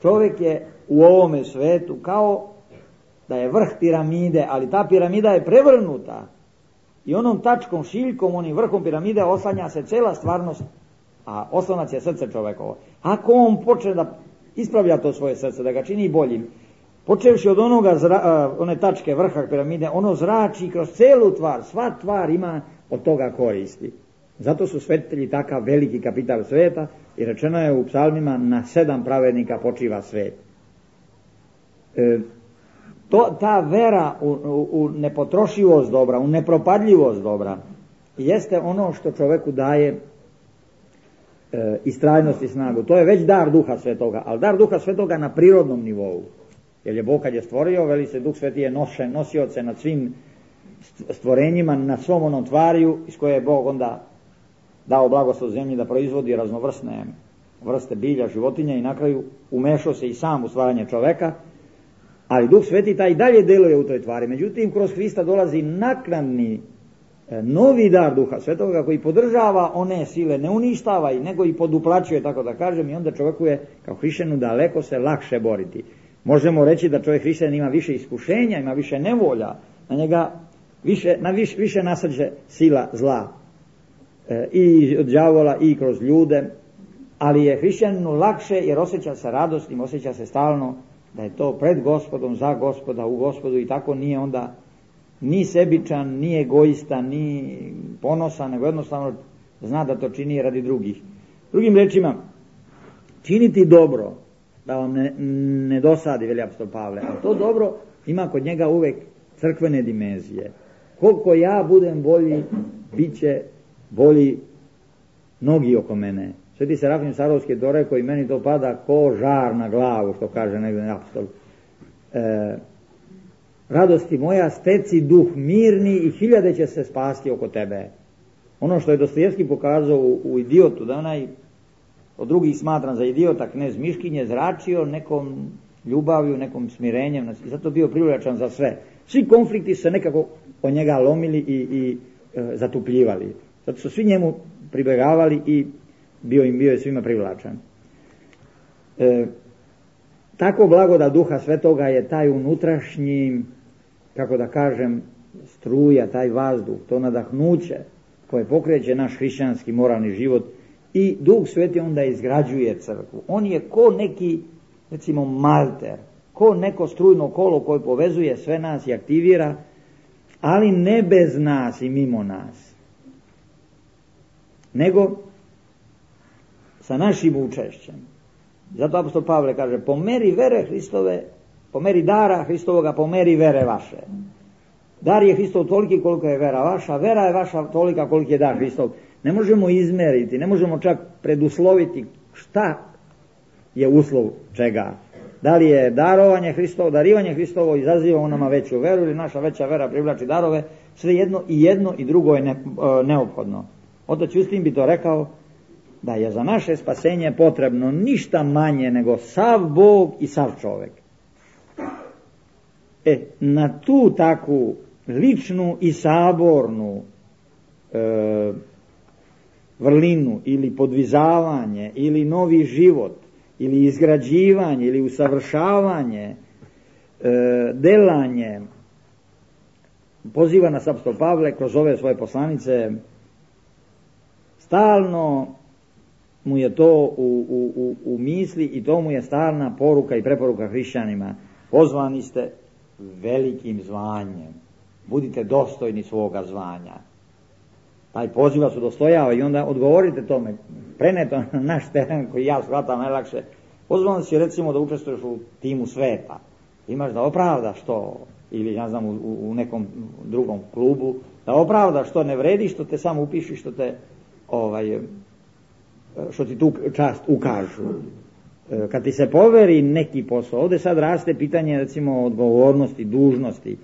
čovjek je u ovome svetu kao da je vrh piramide, ali ta piramida je prevrnuta i onom tačkom, šiljkom, onim vrhom piramide oslanja se cela stvarnost, a oslonac je srce čovekovo. Ako on počne da ispravlja to svoje srce, da ga čini boljim, počevši od one tačke vrha piramide, ono zrači kroz celu tvar, sva tvar ima od toga koristi. Zato su svetitelji takav veliki kapital sveta i rečeno je u psalmima: na 7 pravednika počiva svet. Ta vera u nepotrošivost dobra, u nepropadljivost dobra, jeste ono što čoveku daje istrajnost i snagu. To je već dar Duha Svetoga, ali dar Duha Svetoga na prirodnom nivou. Jer je Bog kad je stvorio, veli se, Duh Sveti je nosioce nad svim stvorenjima, na svom onom tvariju iz koje je Bog onda dao blagoslov zemlji da proizvodi raznovrsne vrste bilja, životinja i na kraju umešao se i sam u stvaranje čoveka. Ali Duh Sveti taj dalje deluje u toj tvari. Međutim, kroz Hrista dolazi naknadni novi dar Duha Svetoga koji podržava one sile, ne uništava ih, nego i poduplaćuje, tako da kažem, i onda čovjeku je kao hrišćanu daleko se lakše boriti. Možemo reći da čovjek hrišćanin ima više iskušenja, ima više nevolja, na njega više nasađe sila zla i od đavola i kroz ljude, ali je hrišćaninu lakše jer osjeća se radosnim, osjeća se stalno da je to pred Gospodom, za Gospoda, u Gospodu, i tako nije onda ni sebičan, ni egoista, ni ponosan, nego jednostavno zna da to čini radi drugih. Drugim rečima, činiti dobro, da vam ne dosadi, veli apostol Pavle, ali to dobro ima kod njega uvek crkvene dimenzije. Koliko ja budem bolji, bit će bolji mnogi oko mene. Sveti Serafim Sarovski to rekao i meni to pada ko žar na glavu, što kaže negdje apostol. Radosti moja, steci duh mirni i 1000 će se spasti oko tebe. Ono što je Dostojevski pokazao u Idiotu, da onaj od drugih smatran za idiota, knez Miškin je zračio nekom ljubavlju, nekom smirenjem, i zato bio privlačan za sve. Svi konflikti su se nekako od njega lomili i zatupljivali. Zato su svi njemu pribegavali i bio je svima privlačan. Tako blagodat Duha Svetoga je taj unutrašnji, kako da kažem, struja, taj vazduh, to nadahnuće koje pokreće naš hrišćanski moralni život, i Duh Sveti onda izgrađuje crkvu. On je ko neki, recimo, malter, ko neko strujno kolo koje povezuje sve nas i aktivira, ali ne bez nas i mimo nas, nego sa našim učešćem. Zato apostol Pavle kaže: po meri vere Hristove, po meri dara Hristovoga, po meri vere vaše. Dar je Hristov toliki koliko je vera vaša, vera je vaša tolika koliko je dar Hristov. Ne možemo izmeriti, ne možemo čak predusloviti šta je uslov čega. Da li je darovanje Hristovo, darivanje Hristovo izaziva u nama veću veru, ili naša veća vera privlači darove. Sve jedno i drugo je neophodno. Otac Justin bi to rekao, da je za naše spasenje potrebno ništa manje nego sav Bog i sav čovjek. Na tu takvu ličnu i sabornu vrlinu ili podvizavanje ili novi život ili izgrađivanje ili usavršavanje, delanje, poziva nas apostol Pavle kroz ove svoje poslanice. Stalno mu je to u misli i to mu je stalna poruka i preporuka hrišćanima. Pozvani ste velikim zvanjem, budite dostojni svoga zvanja. Taj poziv vas udostojava i onda odgovorite tome, preneto na naš teren koji ja shvatam najlakše. Pozvan si recimo da učestvuješ u timu sveta, imaš da opravdaš to, ili ja znam u nekom drugom klubu, da opravdaš što ne vredi, što te samo upiši, što ti tu čast ukažu. Kad ti se poveri neki posao, ovdje sad raste pitanje recimo odgovornosti, dužnosti.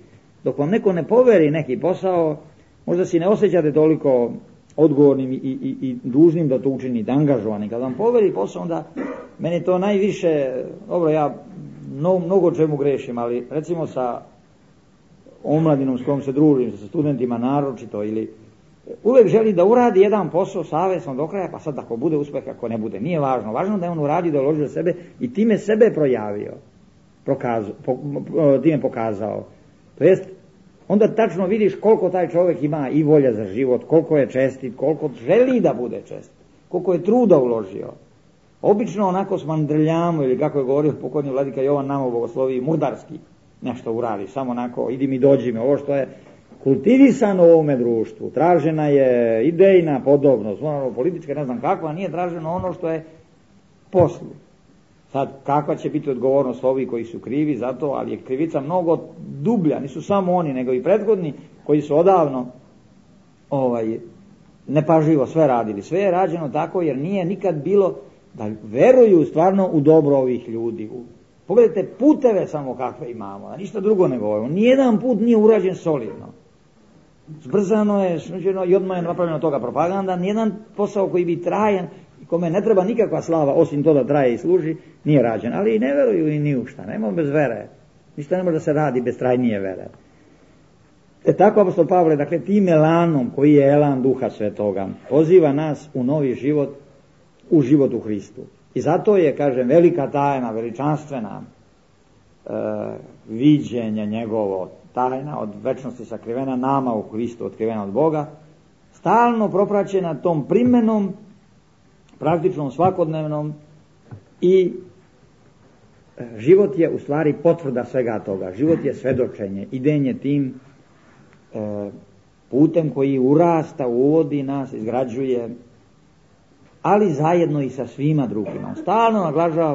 Dok vam neko ne poveri neki posao, možda si ne osjećate toliko odgovornim i dužnim da to učinite, angažovani. Kad vam poveri posao, onda meni to najviše, dobro, ja mnogo čemu grešim, ali recimo sa omladinom s kojom se družim, sa studentima naročito, ili uvijek želi da uradi jedan posao savjesno do kraja, pa sad ako bude uspjeh, ako ne bude, nije važno. Važno da je on uradio, da je uložio sebe i time sebe projavio, time pokazao. To jest, onda tačno vidiš koliko taj čovjek ima i volja za život, koliko je čestit, koliko želi da bude čestit, koliko je truda uložio. Obično onako s mandrljamo, ili kako je govorio pokojni vladika Jovan Namo Bogoslovi, mudarski nešto uradi, samo onako, idi mi, dođi mi, ovo što je kultivisano u ovome društvu. Tražena je idejna podobnost, politička, ne znam kakva, nije traženo ono što je poslu. Sad, kakva će biti odgovornost ovih koji su krivi za to, ali je krivica mnogo dublja, nisu samo oni, nego i prethodni koji su odavno nepažljivo sve radili. Sve je rađeno tako jer nije nikad bilo da veruju stvarno u dobro ovih ljudi. Pogledajte puteve samo kakve imamo, a ništa drugo ne govorimo. Nijedan put nije urađen solidno. Zbrzano je, i odmah je napravljeno toga propaganda. Nijedan posao koji bi trajan, kome ne treba nikakva slava, osim to da traje i služi, nije rađen. Ali i ne veruju i ni u šta, nema bez vere. Ništa ne može da se radi bez trajnije vere. Tako apostol Pavle, dakle, tim elanom koji je elan Duha Svetoga, poziva nas u novi život, u život u Hristu. I zato je, kažem, velika tajna, veličanstvena viđenje njegovo, tajna od večnosti sakrivena nama u Hristu, otkrivena od Boga, stalno propraćena tom primenom, praktičnom, svakodnevnom, i život je u stvari potvrda svega toga. Život je svedočenje, idenje tim putem koji urasta, uvodi nas, izgrađuje, ali zajedno i sa svima drugima. Stalno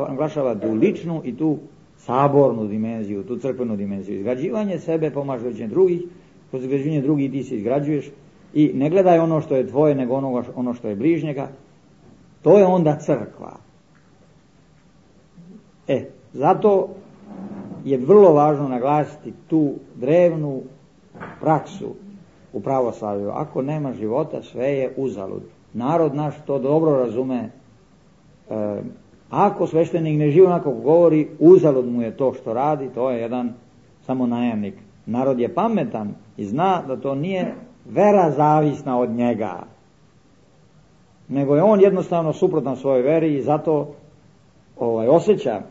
naglašava tu ličnu i tu sabornu dimenziju, tu crkvenu dimenziju. Izgrađivanje sebe, pomažujući drugih, kroz izgrađivanje drugih ti se izgrađuješ i ne gledaj ono što je tvoje, nego ono što je bližnjega. To je onda crkva. Zato je vrlo važno naglasiti tu drevnu praksu u pravoslavlju. Ako nema života, sve je uzalud. Narod naš to dobro razume. Ako sveštenik ne živi onako govori, uzalud mu je to što radi, to je jedan samo najamnik. Narod je pametan i zna da to nije vera zavisna od njega, nego je on jednostavno suprotan svojoj veri i zato osjeća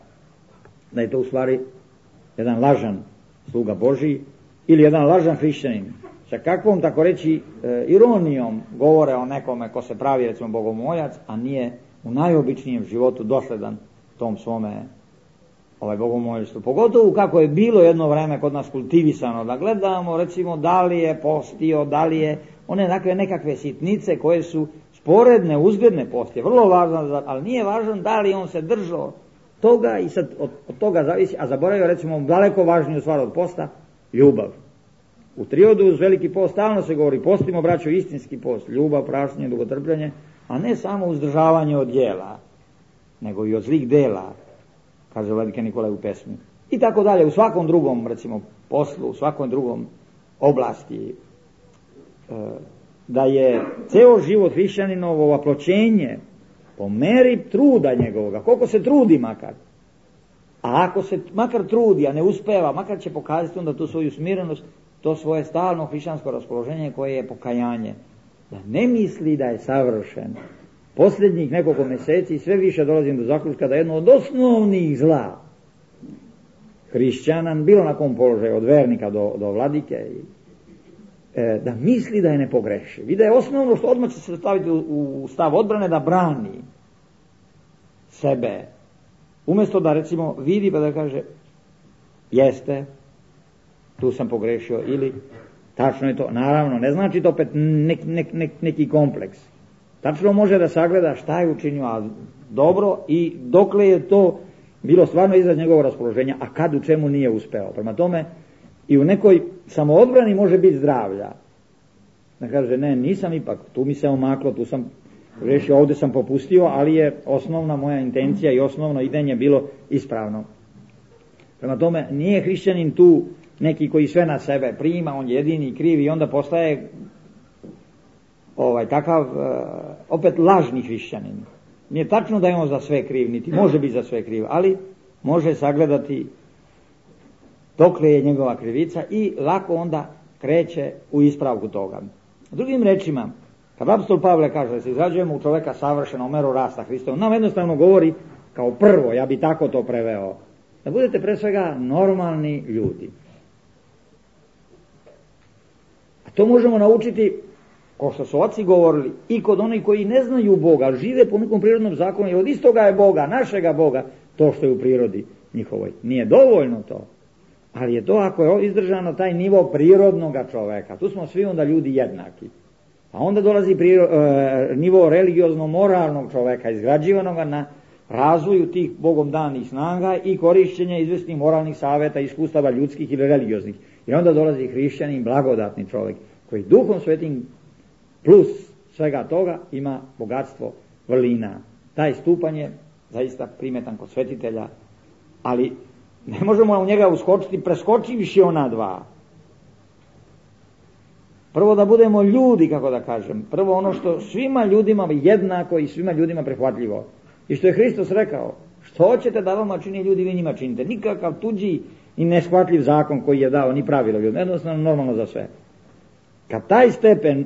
da je to u stvari jedan lažan sluga Božiji ili jedan lažan hrišćanin. Sa kakvom, tako reći, ironijom govore o nekome ko se pravi, recimo, bogomoljac, a nije u najobičnijem životu dosledan tom svome bogomoljstvu. Pogotovo kako je bilo jedno vreme kod nas kultivisano, da gledamo, recimo, da li je postio, da li je one nekakve sitnice koje su sporedne, uzgledne postije, vrlo važno, ali nije važno da li on se držao toga i sad od toga zavisi, a zaboravio, recimo, daleko važniju stvar od posta, ljubav. U triodu uz veliki post stalno se govori, postimo, braćo, istinski post, ljubav, prašnje, dugotrpljenje, a ne samo uzdržavanje od djela, nego i od zlih dela, kaže vladika Nikolaj u pesmi. I tako dalje, u svakom drugom, recimo, poslu, u svakom drugom oblasti, da je ceo život hrišćaninovo oploćenje po meri truda njegovoga, koliko se trudi makar. A ako se makar trudi, a ne uspeva, makar će pokazati onda tu svoju smirenost, to svoje stalno hrišćansko raspoloženje koje je pokajanje. da ne misli da je savršen. Posljednjih nekoliko mjeseci sve više dolazim do zaključka da jedno od osnovnih zla hrišćana, bilo na kom položaju, od vernika do vladike, da misli da je nepogrešiv. I da je osnovno što odmah će se staviti u stav odbrane da brani sebe. Umjesto da recimo vidi pa da kaže jeste, tu sam pogrešio, ili tačno je to. Naravno, ne znači to opet neki kompleks. Tačno može da sagleda šta je učinio, a dobro, i dokle je to bilo stvarno izraz njegovog raspoloženja, a kad u čemu nije uspeo. Prema tome, i u nekoj samoodbrani može biti zdravlja. Da kaže, ne, nisam ipak, tu mi se omaklo, tu sam rešio, ovdje sam popustio, ali je osnovna moja intencija i osnovno idenje bilo ispravno. Prema tome, nije hrišćanin tu neki koji sve na sebe prima, on je jedini kriv i onda postaje takav opet lažni hrišćanin. Nije tačno da je on za sve kriv, niti može biti za sve kriv, ali može sagledati dokle je njegova krivica i lako onda kreće u ispravku toga. Drugim rečima, kad apostol Pavle kaže da se izrađujemo u čoveka savršeno, u meru rasta Hristovom, nam jednostavno govori kao prvo, ja bi tako to preveo, da budete pre svega normalni ljudi. A to možemo naučiti, kao što su oci govorili, i kod onih koji ne znaju Boga, žive po nekom prirodnom zakonu, i od istoga je Boga, našega Boga, to što je u prirodi njihovoj. Nije dovoljno to, ali je to ako je izdržano taj nivo prirodnog čoveka. Tu smo svi onda ljudi jednaki. A onda dolazi nivo religiozno-moralnog čoveka, izgrađivanoga na razvoju tih Bogom danih snaga i korišćenja izvesnih moralnih savjeta, iskustava ljudskih ili religioznih. I onda dolazi hrišćanin, blagodatni čovjek, koji Duhom Svetim plus svega toga ima bogatstvo vrlina. Taj stupanj je zaista primetan kod svetitelja, ali ne možemo u njega uskočiti preskočivši ona dva. Prvo da budemo ljudi, kako da kažem. Prvo ono što svima ljudima jednako i svima ljudima prihvatljivo. I što je Hristos rekao, što hoćete da vama čini ljudi, vi njima činite. Nikakav tuđi i neshvatljiv zakon koji je dao, ni pravilo ljudima. Jednostavno normalno za sve. Kad taj stepen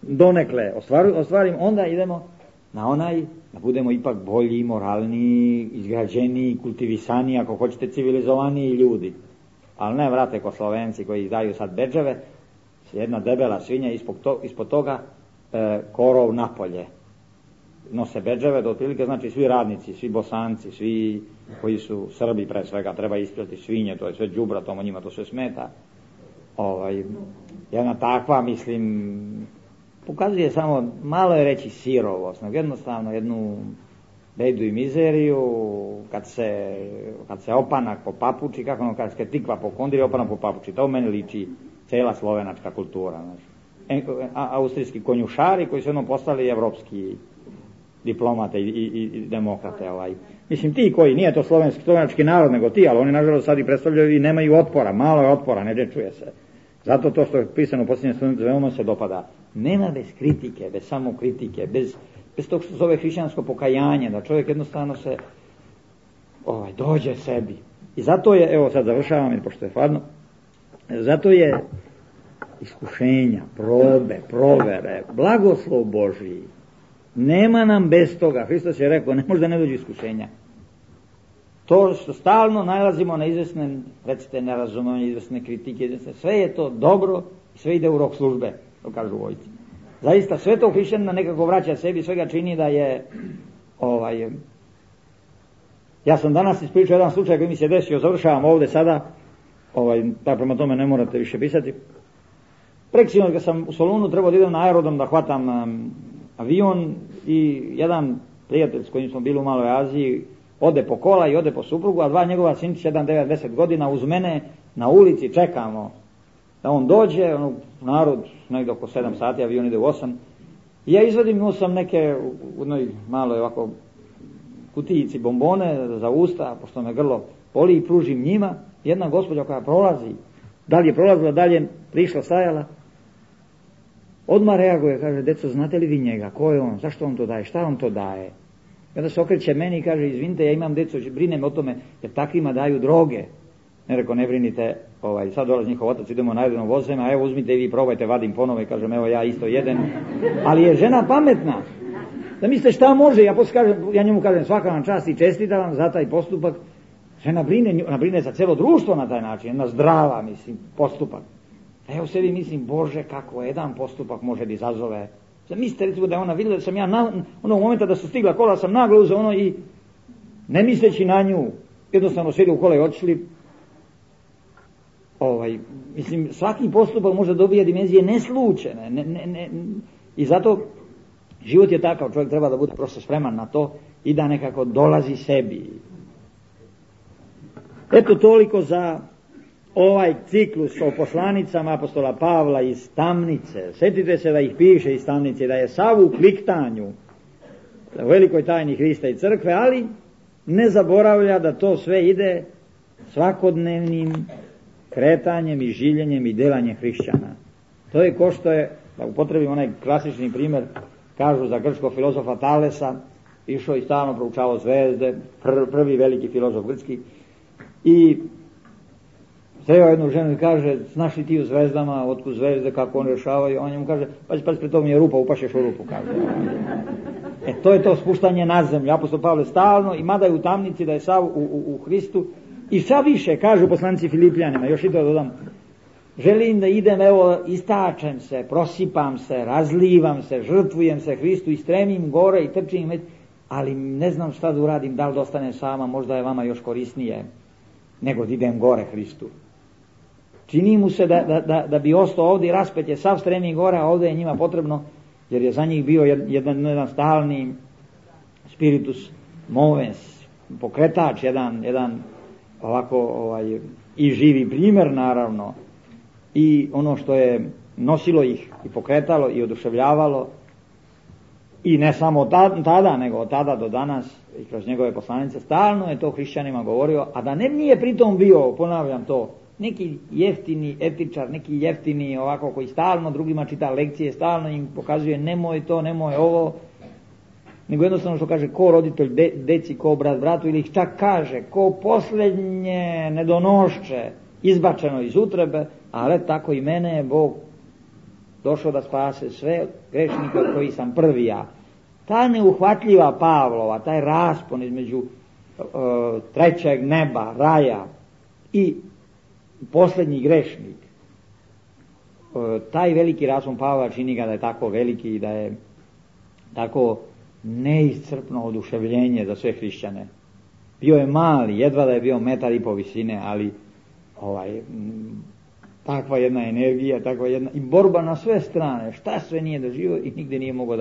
donekle ostvarimo, onda idemo na onaj da budemo ipak bolji, moralniji, izgrađeniji, kultivisaniji, ako hoćete civilizovaniji ljudi. Ali ne vrate ko Slovenci koji daju sad bedževe, jedna debela svinja, ispod toga korov napolje. Nose bedževe, do otprilike znači svi radnici, svi Bosanci, svi koji su Srbi pre svega, treba ispraviti svinje, to je sve đubra, tomu njima to sve smeta. Jedna takva, mislim, pokazuje samo, malo je reći sirovost, nego jednostavno jednu bedu i mizeriju, kad se opanak po papuči, kako ono kad se tikva po kondiri, opanak po papuči, to u meni liči cijela slovenačka kultura. Znači. Austrijski konjušari koji su jednom postali evropski diplomate i demokrate. Mislim, ti koji, nije to slovenački narod, nego ti, ali oni nažalost sad i predstavljaju i nemaju otpora, malo je otpora, ne čuje se. Zato to što je pisano u posljednjem studentu veoma se dopada. Nema bez kritike, bez samokritike, bez tog što zove hrišćansko pokajanje, da čovjek jednostavno se dođe sebi. I zato je, evo sad završavam, jer pošto je hladno, zato je iskušenja, probe, provere, blagoslov Božji. Nema nam bez toga. Hristos je rekao, ne može da ne dođe iskušenja. To što stalno nalazimo na izvesne, recite, nerazumevanje, izvesne kritike, sve je to dobro i sve ide u rok službe, to kažu vojci. Zaista sve to hrišćanina nekako vraća sebi, sve ga čini da je ja sam danas ispričao jedan slučaj koji mi se desio, završavam ovdje sada, prema tome ne morate više pisati. Preksinoć kad sam u Solunu trebao da idem na aerodrom da hvatam avion i jedan prijatelj s kojim smo bili u Maloj Aziji ode po kola i ode po suprugu, a dva njegova sinčića, 1 9-10 godina, uz mene na ulici čekamo da on dođe, narod negdje oko 7 sati, avion ide u 8. I ja izvadim, imao sam neke u jednoj maloj ovako kutijici bombone za usta, pošto me grlo boli, i pružim njima. Jedna gospođa koja prolazi, da li je prolazila, dalje prišla, stajala, odmah reaguje, kaže, deco, znate li vi njega, ko je on, zašto on to daje, šta on to daje? I onda se okreće meni i kaže, izvinite, ja imam deco, brinem o tome, jer takvima daju droge. Ne rekao, ne brinite, sad dolazi njihov otac, idemo na jednom vozima, evo uzmite i vi probajte, vadim ponovo i kažem, evo ja isto jedem. Ali je žena pametna. Da mislite šta može, ja njemu kažem svaka vam čast i čestitam vam za taj postupak. Žena brine za cijelo društvo na taj način, jedna zdrava, postupak. A evo sebi mislim, Bože, kako jedan postupak može da izazove. Zamislite recimo da je ona vidjela da sam ja onog momenta da su stigla kola, sam naglo uzeo i ne misleći na nju, jednostavno sjeli u kola i otišli. Svaki postupak može dobije dimenzije neslučene. I zato život je takav, čovjek treba da bude prosto spreman na to i da nekako dolazi sebi. Eto toliko za ovaj ciklus o poslanicama apostola Pavla iz tamnice. Sjetite se da ih piše iz tamnice, da je sav u kliktanju u velikoj tajni Hrista i crkve, ali ne zaboravlja da to sve ide svakodnevnim kretanjem i življenjem i delanjem hrišćana. To je ko što je, da upotrebim onaj klasični primjer, kažu za grčkog filozofa Talesa, išao i stalno proučavao zvezde, prvi veliki filozof grčki, i sreo jednu ženu i kaže, znaš li ti u zvezdama, otkud zvezde, kako one rješavaju? On njemu kaže, pazi, pred tom je rupa, upašeš u rupu, kaže. To je to spuštanje na zemlju. Apostol Pavle stalno, i mada je u tamnici, da je sav u Hristu, i šta više, kažu poslanici Filipljanima, još i to dodam, želim da idem, evo, istačem se, prosipam se, razlivam se, žrtvujem se Hristu i stremim gore i trčim, ali ne znam šta da uradim, da li da ostanem sama, možda je vama još korisnije nego da idem gore Hristu. Čini mu se da bi ostao ovdje i raspet je sav stremi gore, a ovdje je njima potrebno, jer je za njih bio jedan stalni spiritus movens, pokretač, jedan ovako i živi primjer naravno, i ono što je nosilo ih i pokretalo i oduševljavalo, i ne samo tada, nego od tada do danas i kroz njegove poslanice, stalno je to hrišćanima govorio, a da nije pritom bio, ponavljam to, neki jeftini etičar, neki jeftini ovako koji stalno drugima čita lekcije, stalno im pokazuje nemoj to, nemoj ovo, nego jednostavno što kaže ko roditelj deci, ko brat bratu, ili ih čak kaže ko posljednje nedonošće izbačeno iz utrebe, ali tako i mene je Bog došao da spase sve grešnike od koji sam prvi ja. Ta neuhvatljiva Pavlova, taj raspon između trećeg neba, raja i posljednji grešnik, taj veliki raspon Pavla čini ga da je tako veliki i da je tako neiscrpno oduševljenje za sve hrišćane. Bio je mali, jedva da je bio 1,5 m visine, ali takva jedna energija, takva jedna i borba na sve strane, šta sve nije doživio i nigde nije mogao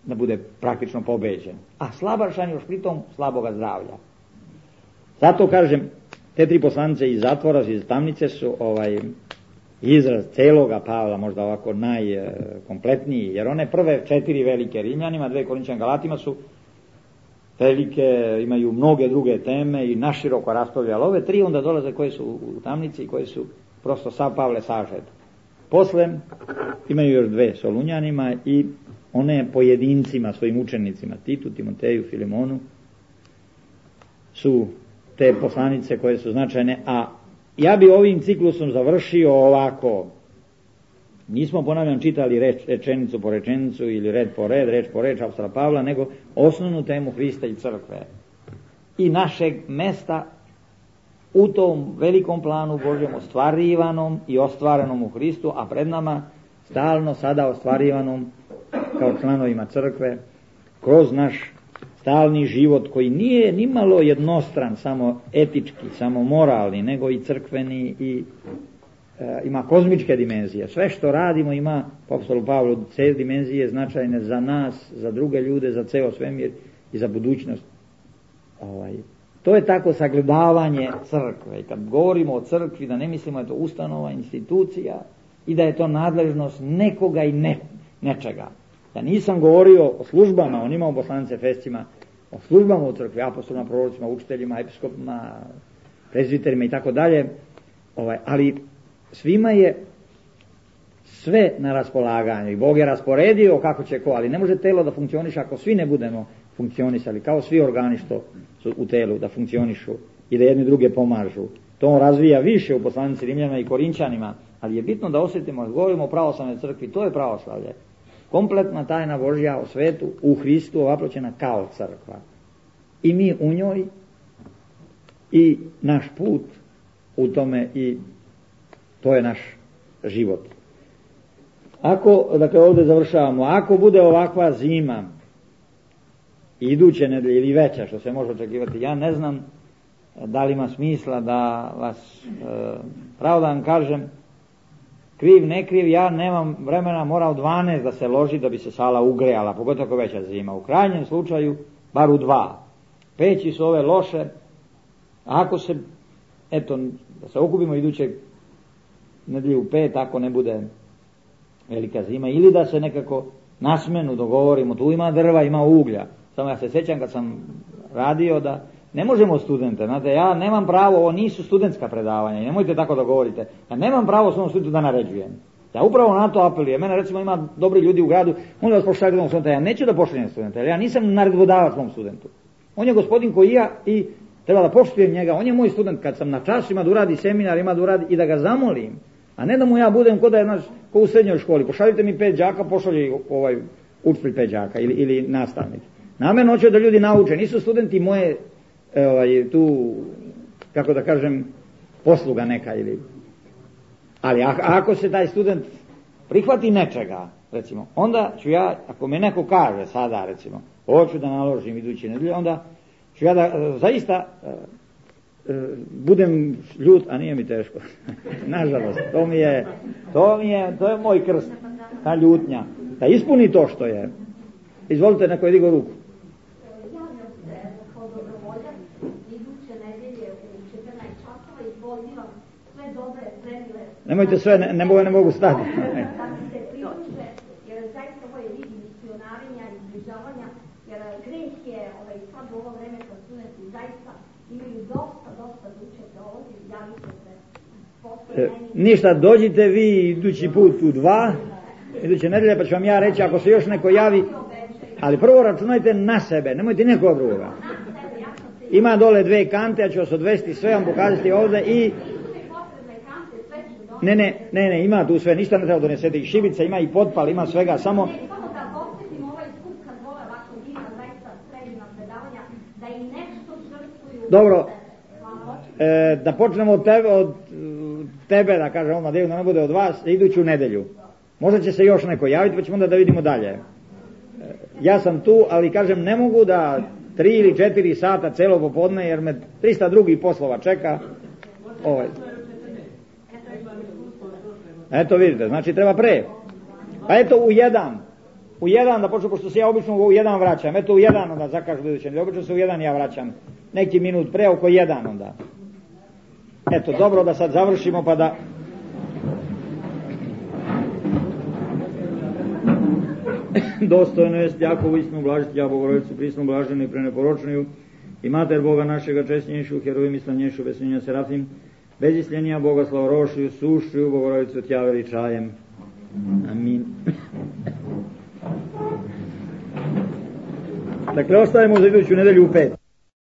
da bude praktično pobeđen. A slabašan još pritom slaboga zdravlja. Zato kažem, te tri poslanice iz zatvora, iz tamnice su izraz celoga Pavla, možda ovako najkompletniji, jer one prve 4 velike Rimljanima, 2 Korinćanima, Galatima su velike, imaju mnoge druge teme i naširoko raspravljali. Ove 3 onda dolaze koje su u tamnici i koje su prosto sav Pavle sažet. Posle imaju još 2 Solunjanima i one pojedincima, svojim učenicima, Titu, Timoteju, Filemonu, su te poslanice koje su značajne, a ja bi ovim ciklusom završio ovako. Nismo, ponavljam, čitali rečenicu po rečenicu ili red po red, reč po reč apostola Pavla, nego osnovnu temu Hrista i crkve i našeg mesta u tom velikom planu Božjem ostvarivanom i ostvarenom u Hristu, a pred nama stalno sada ostvarivanom kao članovima crkve kroz naš stalni život koji nije nimalo jednostran, samo etički, samo moralni, nego i crkveni i ima kozmičke dimenzije. Sve što radimo ima, po apostolu Pavlu, te dimenzije značajne za nas, za druge ljude, za ceo svemir i za budućnost. To je tako sagledavanje crkve. I kad govorimo o crkvi, da ne mislimo da je to ustanova, institucija i da je to nadležnost nekoga i nečega. Ja nisam govorio o službama, on ima u poslanice Efescima, o službama u crkvi, apostolima, prorocima, učiteljima, episkopima, prezbiterima i tako dalje, ali svima je sve na raspolaganju i Bog je rasporedio kako će ko, ali ne može telo da funkcioniše ako svi ne budemo funkcionisali, kao svi organi što su u telu da funkcionišu i da jedni druge pomažu To on razvija više u poslanici Rimljanima i Korinćanima, ali je bitno da osjetimo, kad govorimo o pravoslavnoj crkvi, to je pravoslavlje. Kompletna tajna Božja o svetu u Hristu ovaploćena kao crkva. I mi u njoj i naš put u tome i to je naš život. Ako, dakle ovdje završavamo, ako bude ovakva zima iduće nedelje ili veća što se može očekivati, ja ne znam da li ima smisla da vas pravo da vam kažem, kriv, ne kriv, ja nemam vremena, mora u 12 da se loži da bi se sala ugrejala, pogotovo ako veća zima. U krajnjem slučaju, bar u 2. Peći su ove loše, ako se, eto, da se okupimo idućeg nedelje u 5, ako ne bude velika zima, ili da se nekako na smenu dogovorimo, tu ima drva, ima uglja. Samo ja se sjećam kad sam radio da ne možemo studente, znate, ja nemam pravo, ovo nisu studentska predavanja i nemojte tako da govorite, ja nemam pravo svom studentu da naređujem. Ja upravo na to apelujem. Mene recimo ima dobri ljudi u gradu, molim vas pošaljite studenta, ja neću da pošaljem studenta, jer ja nisam naredbodavac svom studentu. On je gospodin koji ja i treba da poštujem njega, on je moj student, kad sam na času ima da uradi seminar, ima da uradi i da ga zamolim, a ne da mu ja budem ko da je ko u srednjoj školi, pošaljite mi 5 đaka, pošalji učitelj 5 đaka ili nastavnik. Namerno hoću da ljudi nauče, nisu studenti moje tu, kako da kažem, posluga neka ili. Ali ako se taj student prihvati nečega, recimo, onda ću ja, ako me neko kaže sada, recimo, hoću da naložim iduće nedelje, onda ću ja da zaista budem ljut, a nije mi teško. Nažalost, to je moj krst, ta ljutnja. Da ispuni to što je. Izvolite, neko je digao ruku. Nemojte sve, ne mogu stati. Jer zaista ovo je vid misionarenja i zbližavanja, jer greh je sad u ovo vreme kad studenti zaista imaju dosta da učete ovdje, javite se. Ništa, dođite vi idući put u 2, iduće nedelje, pa ću vam ja reći ako se još neko javi, ali prvo računajte na sebe, nemojte nekoga drugoga. Ima dole 2 kante, ja ću vas odvesti sve, vam pokazati ovdje i Ne, ima tu sve, ništa ne treba donesete, i šibica, ima i potpal, ima svega, samo... Samo da posjetimo ovaj skup kad vole ovako divna, zaista sredina predavanja, da i nešto žrtvuju... Dobro, da počnemo od tebe, da kažem odmah, da ne bude od vas, iduću nedelju. Možda će se još neko javiti, pa ćemo onda da vidimo dalje. Ja sam tu, ali kažem, ne mogu da 3 ili 4 sata celo popodne, jer me 300 drugih poslova čeka. Eto vidite, znači treba pre. Pa eto u 1 da počnu, pošto se ja obično u 1 vraćam, eto u 1 onda zakažu buduće, obično se u 1 ja vraćam, neki minut pre, oko 1 onda. Eto, dobro da sad završimo pa da... Dostojno jest Jakovu istinu blažiti, ja Bogorodicu prisnu blaženu i preneporočniju i Mater Boga našega česnjejšu, herojim i slavnjejšu, besnjenja Serafim, bez isljenija Boga slavorošiju, sušiju Bogorodicu tja veličajem. Amin. Dakle, ostajemo za iduću nedelju u 5.